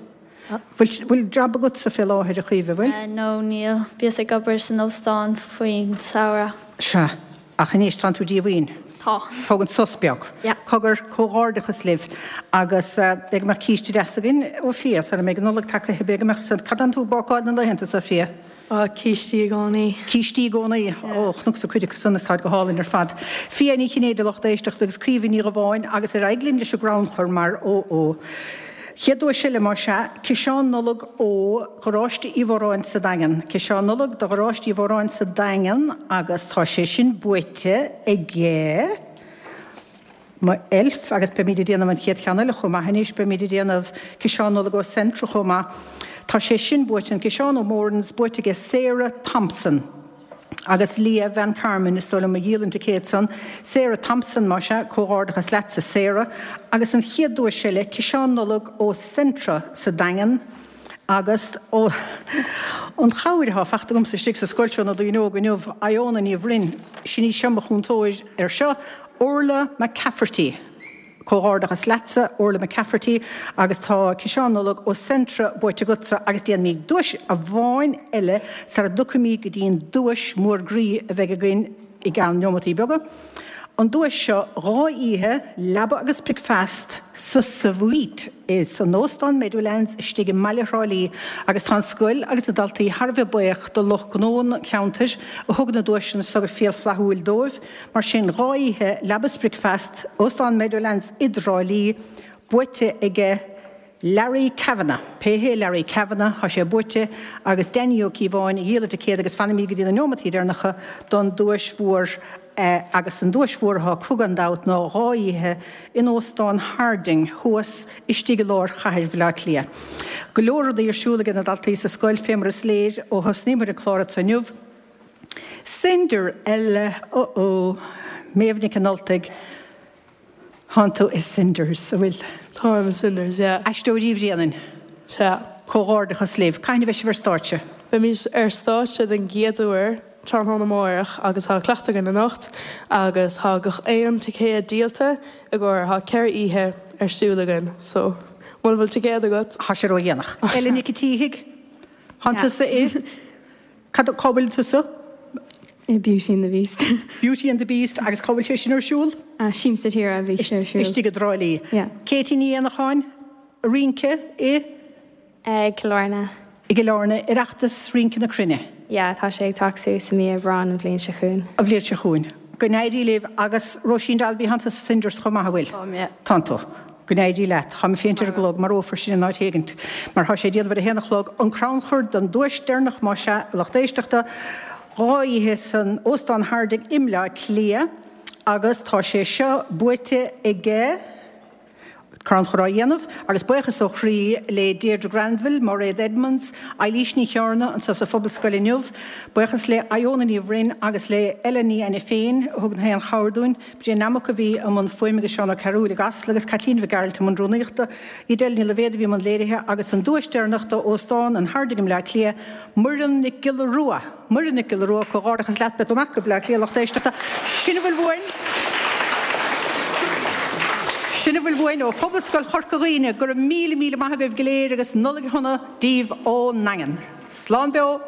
[SPEAKER 1] Bhfuil, bhfuil jab agatsa fé láthair, a Chaoimhe, bhfuil?
[SPEAKER 11] No, níl. Bhíos ag obair san óstán faoin samhradh.
[SPEAKER 1] Sea. Ach anois tánn tú díomhaoin.
[SPEAKER 11] Tá.
[SPEAKER 1] Tógaint sos beag.
[SPEAKER 11] Yeah.
[SPEAKER 1] Cogar, comhghairdeachas libh agus b'fhéidir go mbeadh císte deas againn ó Phia sara mbeidh an Nollaig tagtha, b'fhéidir go mbeadh san. Cad tánn tú ag bácáil na laethanta seo, Phia?
[SPEAKER 5] Á, cístí i gcónaí.
[SPEAKER 1] Cístí i gcónaí. Ó, chonacsa cuid acu san is táid go hálainn ar fad. Phia Ní Chinnéide, lucht éisteachta, agus Caoimhe Ní Dhubháin agus ar aghaidh linn leis an gcrannchur mar ó ó. Chéad duais eile, más ea, ciseán Nollag ó Gharáiste Uí Mhóráin sa Daingean. Ciseán Nollag do Gharáiste Uí Mhóráin sa Daingean agus tá sé sin buaite aige mo elf agus beimid ag déanamh an chéad cheann eile chomh maith anois, beimid ag déanamh ciseán Nollag ó Centra chomh maith. Tá sé sin buaite, an ciseán ó Moran's buaite aige Sarah Thompson. Agus Leah Van Carmen, is dóigh liom, a dhíol an ticéad san. Sarah Thompson, más ea, comhghairdeachas leatsa, Sarah. Agus an chéad duais eile, ciseán Nollag ó Centra sa Daingean agus ó an chabhair atá fachta agamsa istigh sa scoil seo na daoine óga inniu, Iona Ní Bhroin, sin í seo mo chúntóir ar seo, Orla McCafferty. Comhghairdeachas leatsa, Orla McCafferty, agus tá ciseán Nollag ó Centra buaite agatsa agus déanfaimid duais amháin eile sara dtiocfaimid go dtí'n duais mhór groí a bheidh againn i gceann neomataí beaga. An duais seo, 2 oíche, leaba agus bricfeast sa Suite san Óstán Meadowlands istigh i mbaile Thrá Lí agus tá an scoil agus na daltaí thar a bheith buíoch do lucht gnó an cheantair a thug na duaiseanna seo go fial flaithiúil dóibh. Mar sin, 2 oíche, leaba 's bricfeast, Óstán Meadowlands i dTrá Lí, buaite aige Larry Kavanagh. Pé hé Larry Kavanagh, tá sé buaite agus Danny Ó Cíobháin a dhíol an ticéad agus fanfaimid go dtí na neomataí deireanacha don duais mhór agus an duais mhór atá acu gan dabht ná 2 oíche in Óstán Harding thuas istigh i lár chathair Bhaile Átha Cliath. Go leor rudaí ar siúl aige na daltaí sa scoil fé mar is léir ó thosnaíomar an clár anseo inniu. Cinder eile, oh oh, Méabh Nic an Ultaigh, thánn tú i Cinders, a' bhfuil?
[SPEAKER 5] Táim i Cinders, yeah.
[SPEAKER 1] Aisteoirí Bhréanainn.
[SPEAKER 5] Sea.
[SPEAKER 1] Comhghairdeachas libh. Cathain a bheidh sibh ar stáitse?
[SPEAKER 5] Beimid ar stáitse den gcéad uair tráthnóna amárach agus tá cleachtadh againn anocht agus tá gach aon ticéad díolta i gcomhair, tá 4 oíche ar siúl againn so muna bhfuil ticéad agat.
[SPEAKER 1] Tá sé ródhéanach. Ella Nic a' tSíthigh, thánn tusa i? Cad, cá bhfuil tusa?
[SPEAKER 10] I Beauty and the Beast.
[SPEAKER 1] Beauty and the Beast agus cá bhfuil sé sin ar siúl?
[SPEAKER 10] Siamsa Tíre a bhí sé ar siúl.
[SPEAKER 1] Istigh i dTrá Lí.
[SPEAKER 10] Yeah.
[SPEAKER 1] Katie Ní Éanacháin, rince i?
[SPEAKER 10] I gCill Airne.
[SPEAKER 1] I gCill Airne, Oireachtas Rince na Cruinne.
[SPEAKER 10] Yeah, tá sé ag teacht suas i mí Aibreáin an bhliain seo chugainn.
[SPEAKER 1] An bhliain seo chugainn. Go n-éirí libh agus Róisín Dalby, thánn tusa sa Cinders chomh maith, an bhfuil?
[SPEAKER 9] Táim, yeah.
[SPEAKER 1] Tánn tú. Go n-éirí leat. Táim ag féachaint ar an gclog, marófar sinn in áit éigint, mar tá sé ag déanamh ar a haon a chlog. An crannchur don duais deireanach, más ea, a lucht éisteachta, 2 oíche san Óstán Harding i mBleá Cliath agus tá sé seo buaite aige. Crannchur á dhéanamh agus buíochas ó chroí le Deirdre Granville, Mairéad Edmonds, Eilís Ní Chearna anseo sa Phobalscoil inniu. Buíochas le Iona Ní Bhroin agus le Ella Ní Ainiféin a thug aon chabhair dúinn. Brian Nammock a bhí i mbun fuaime agus Seán Ó Cearúil i gCasla agus Caitlín Mhic Gearailt i mbun rúnaíochta. Edel Ní Loibhéad a bhí i mbun léirithe agus an duais deireanach d'Óstán an Harding i mBleá Cliath, Muireann Nic Giolla Rua. Muireann Nic Giolla Rua, comhghairdeachas leat, beidh tú amach go Bleá Cliath lucht éisteachta. Sin a bhfuil uainn. Sin a bhfuil uainn ó Phobalscoil Chorca Dhuibhne. Go raibh míle míle maith agaibh go léir agus Nollaig Shona daoibh ón nDaingean. Slán beo!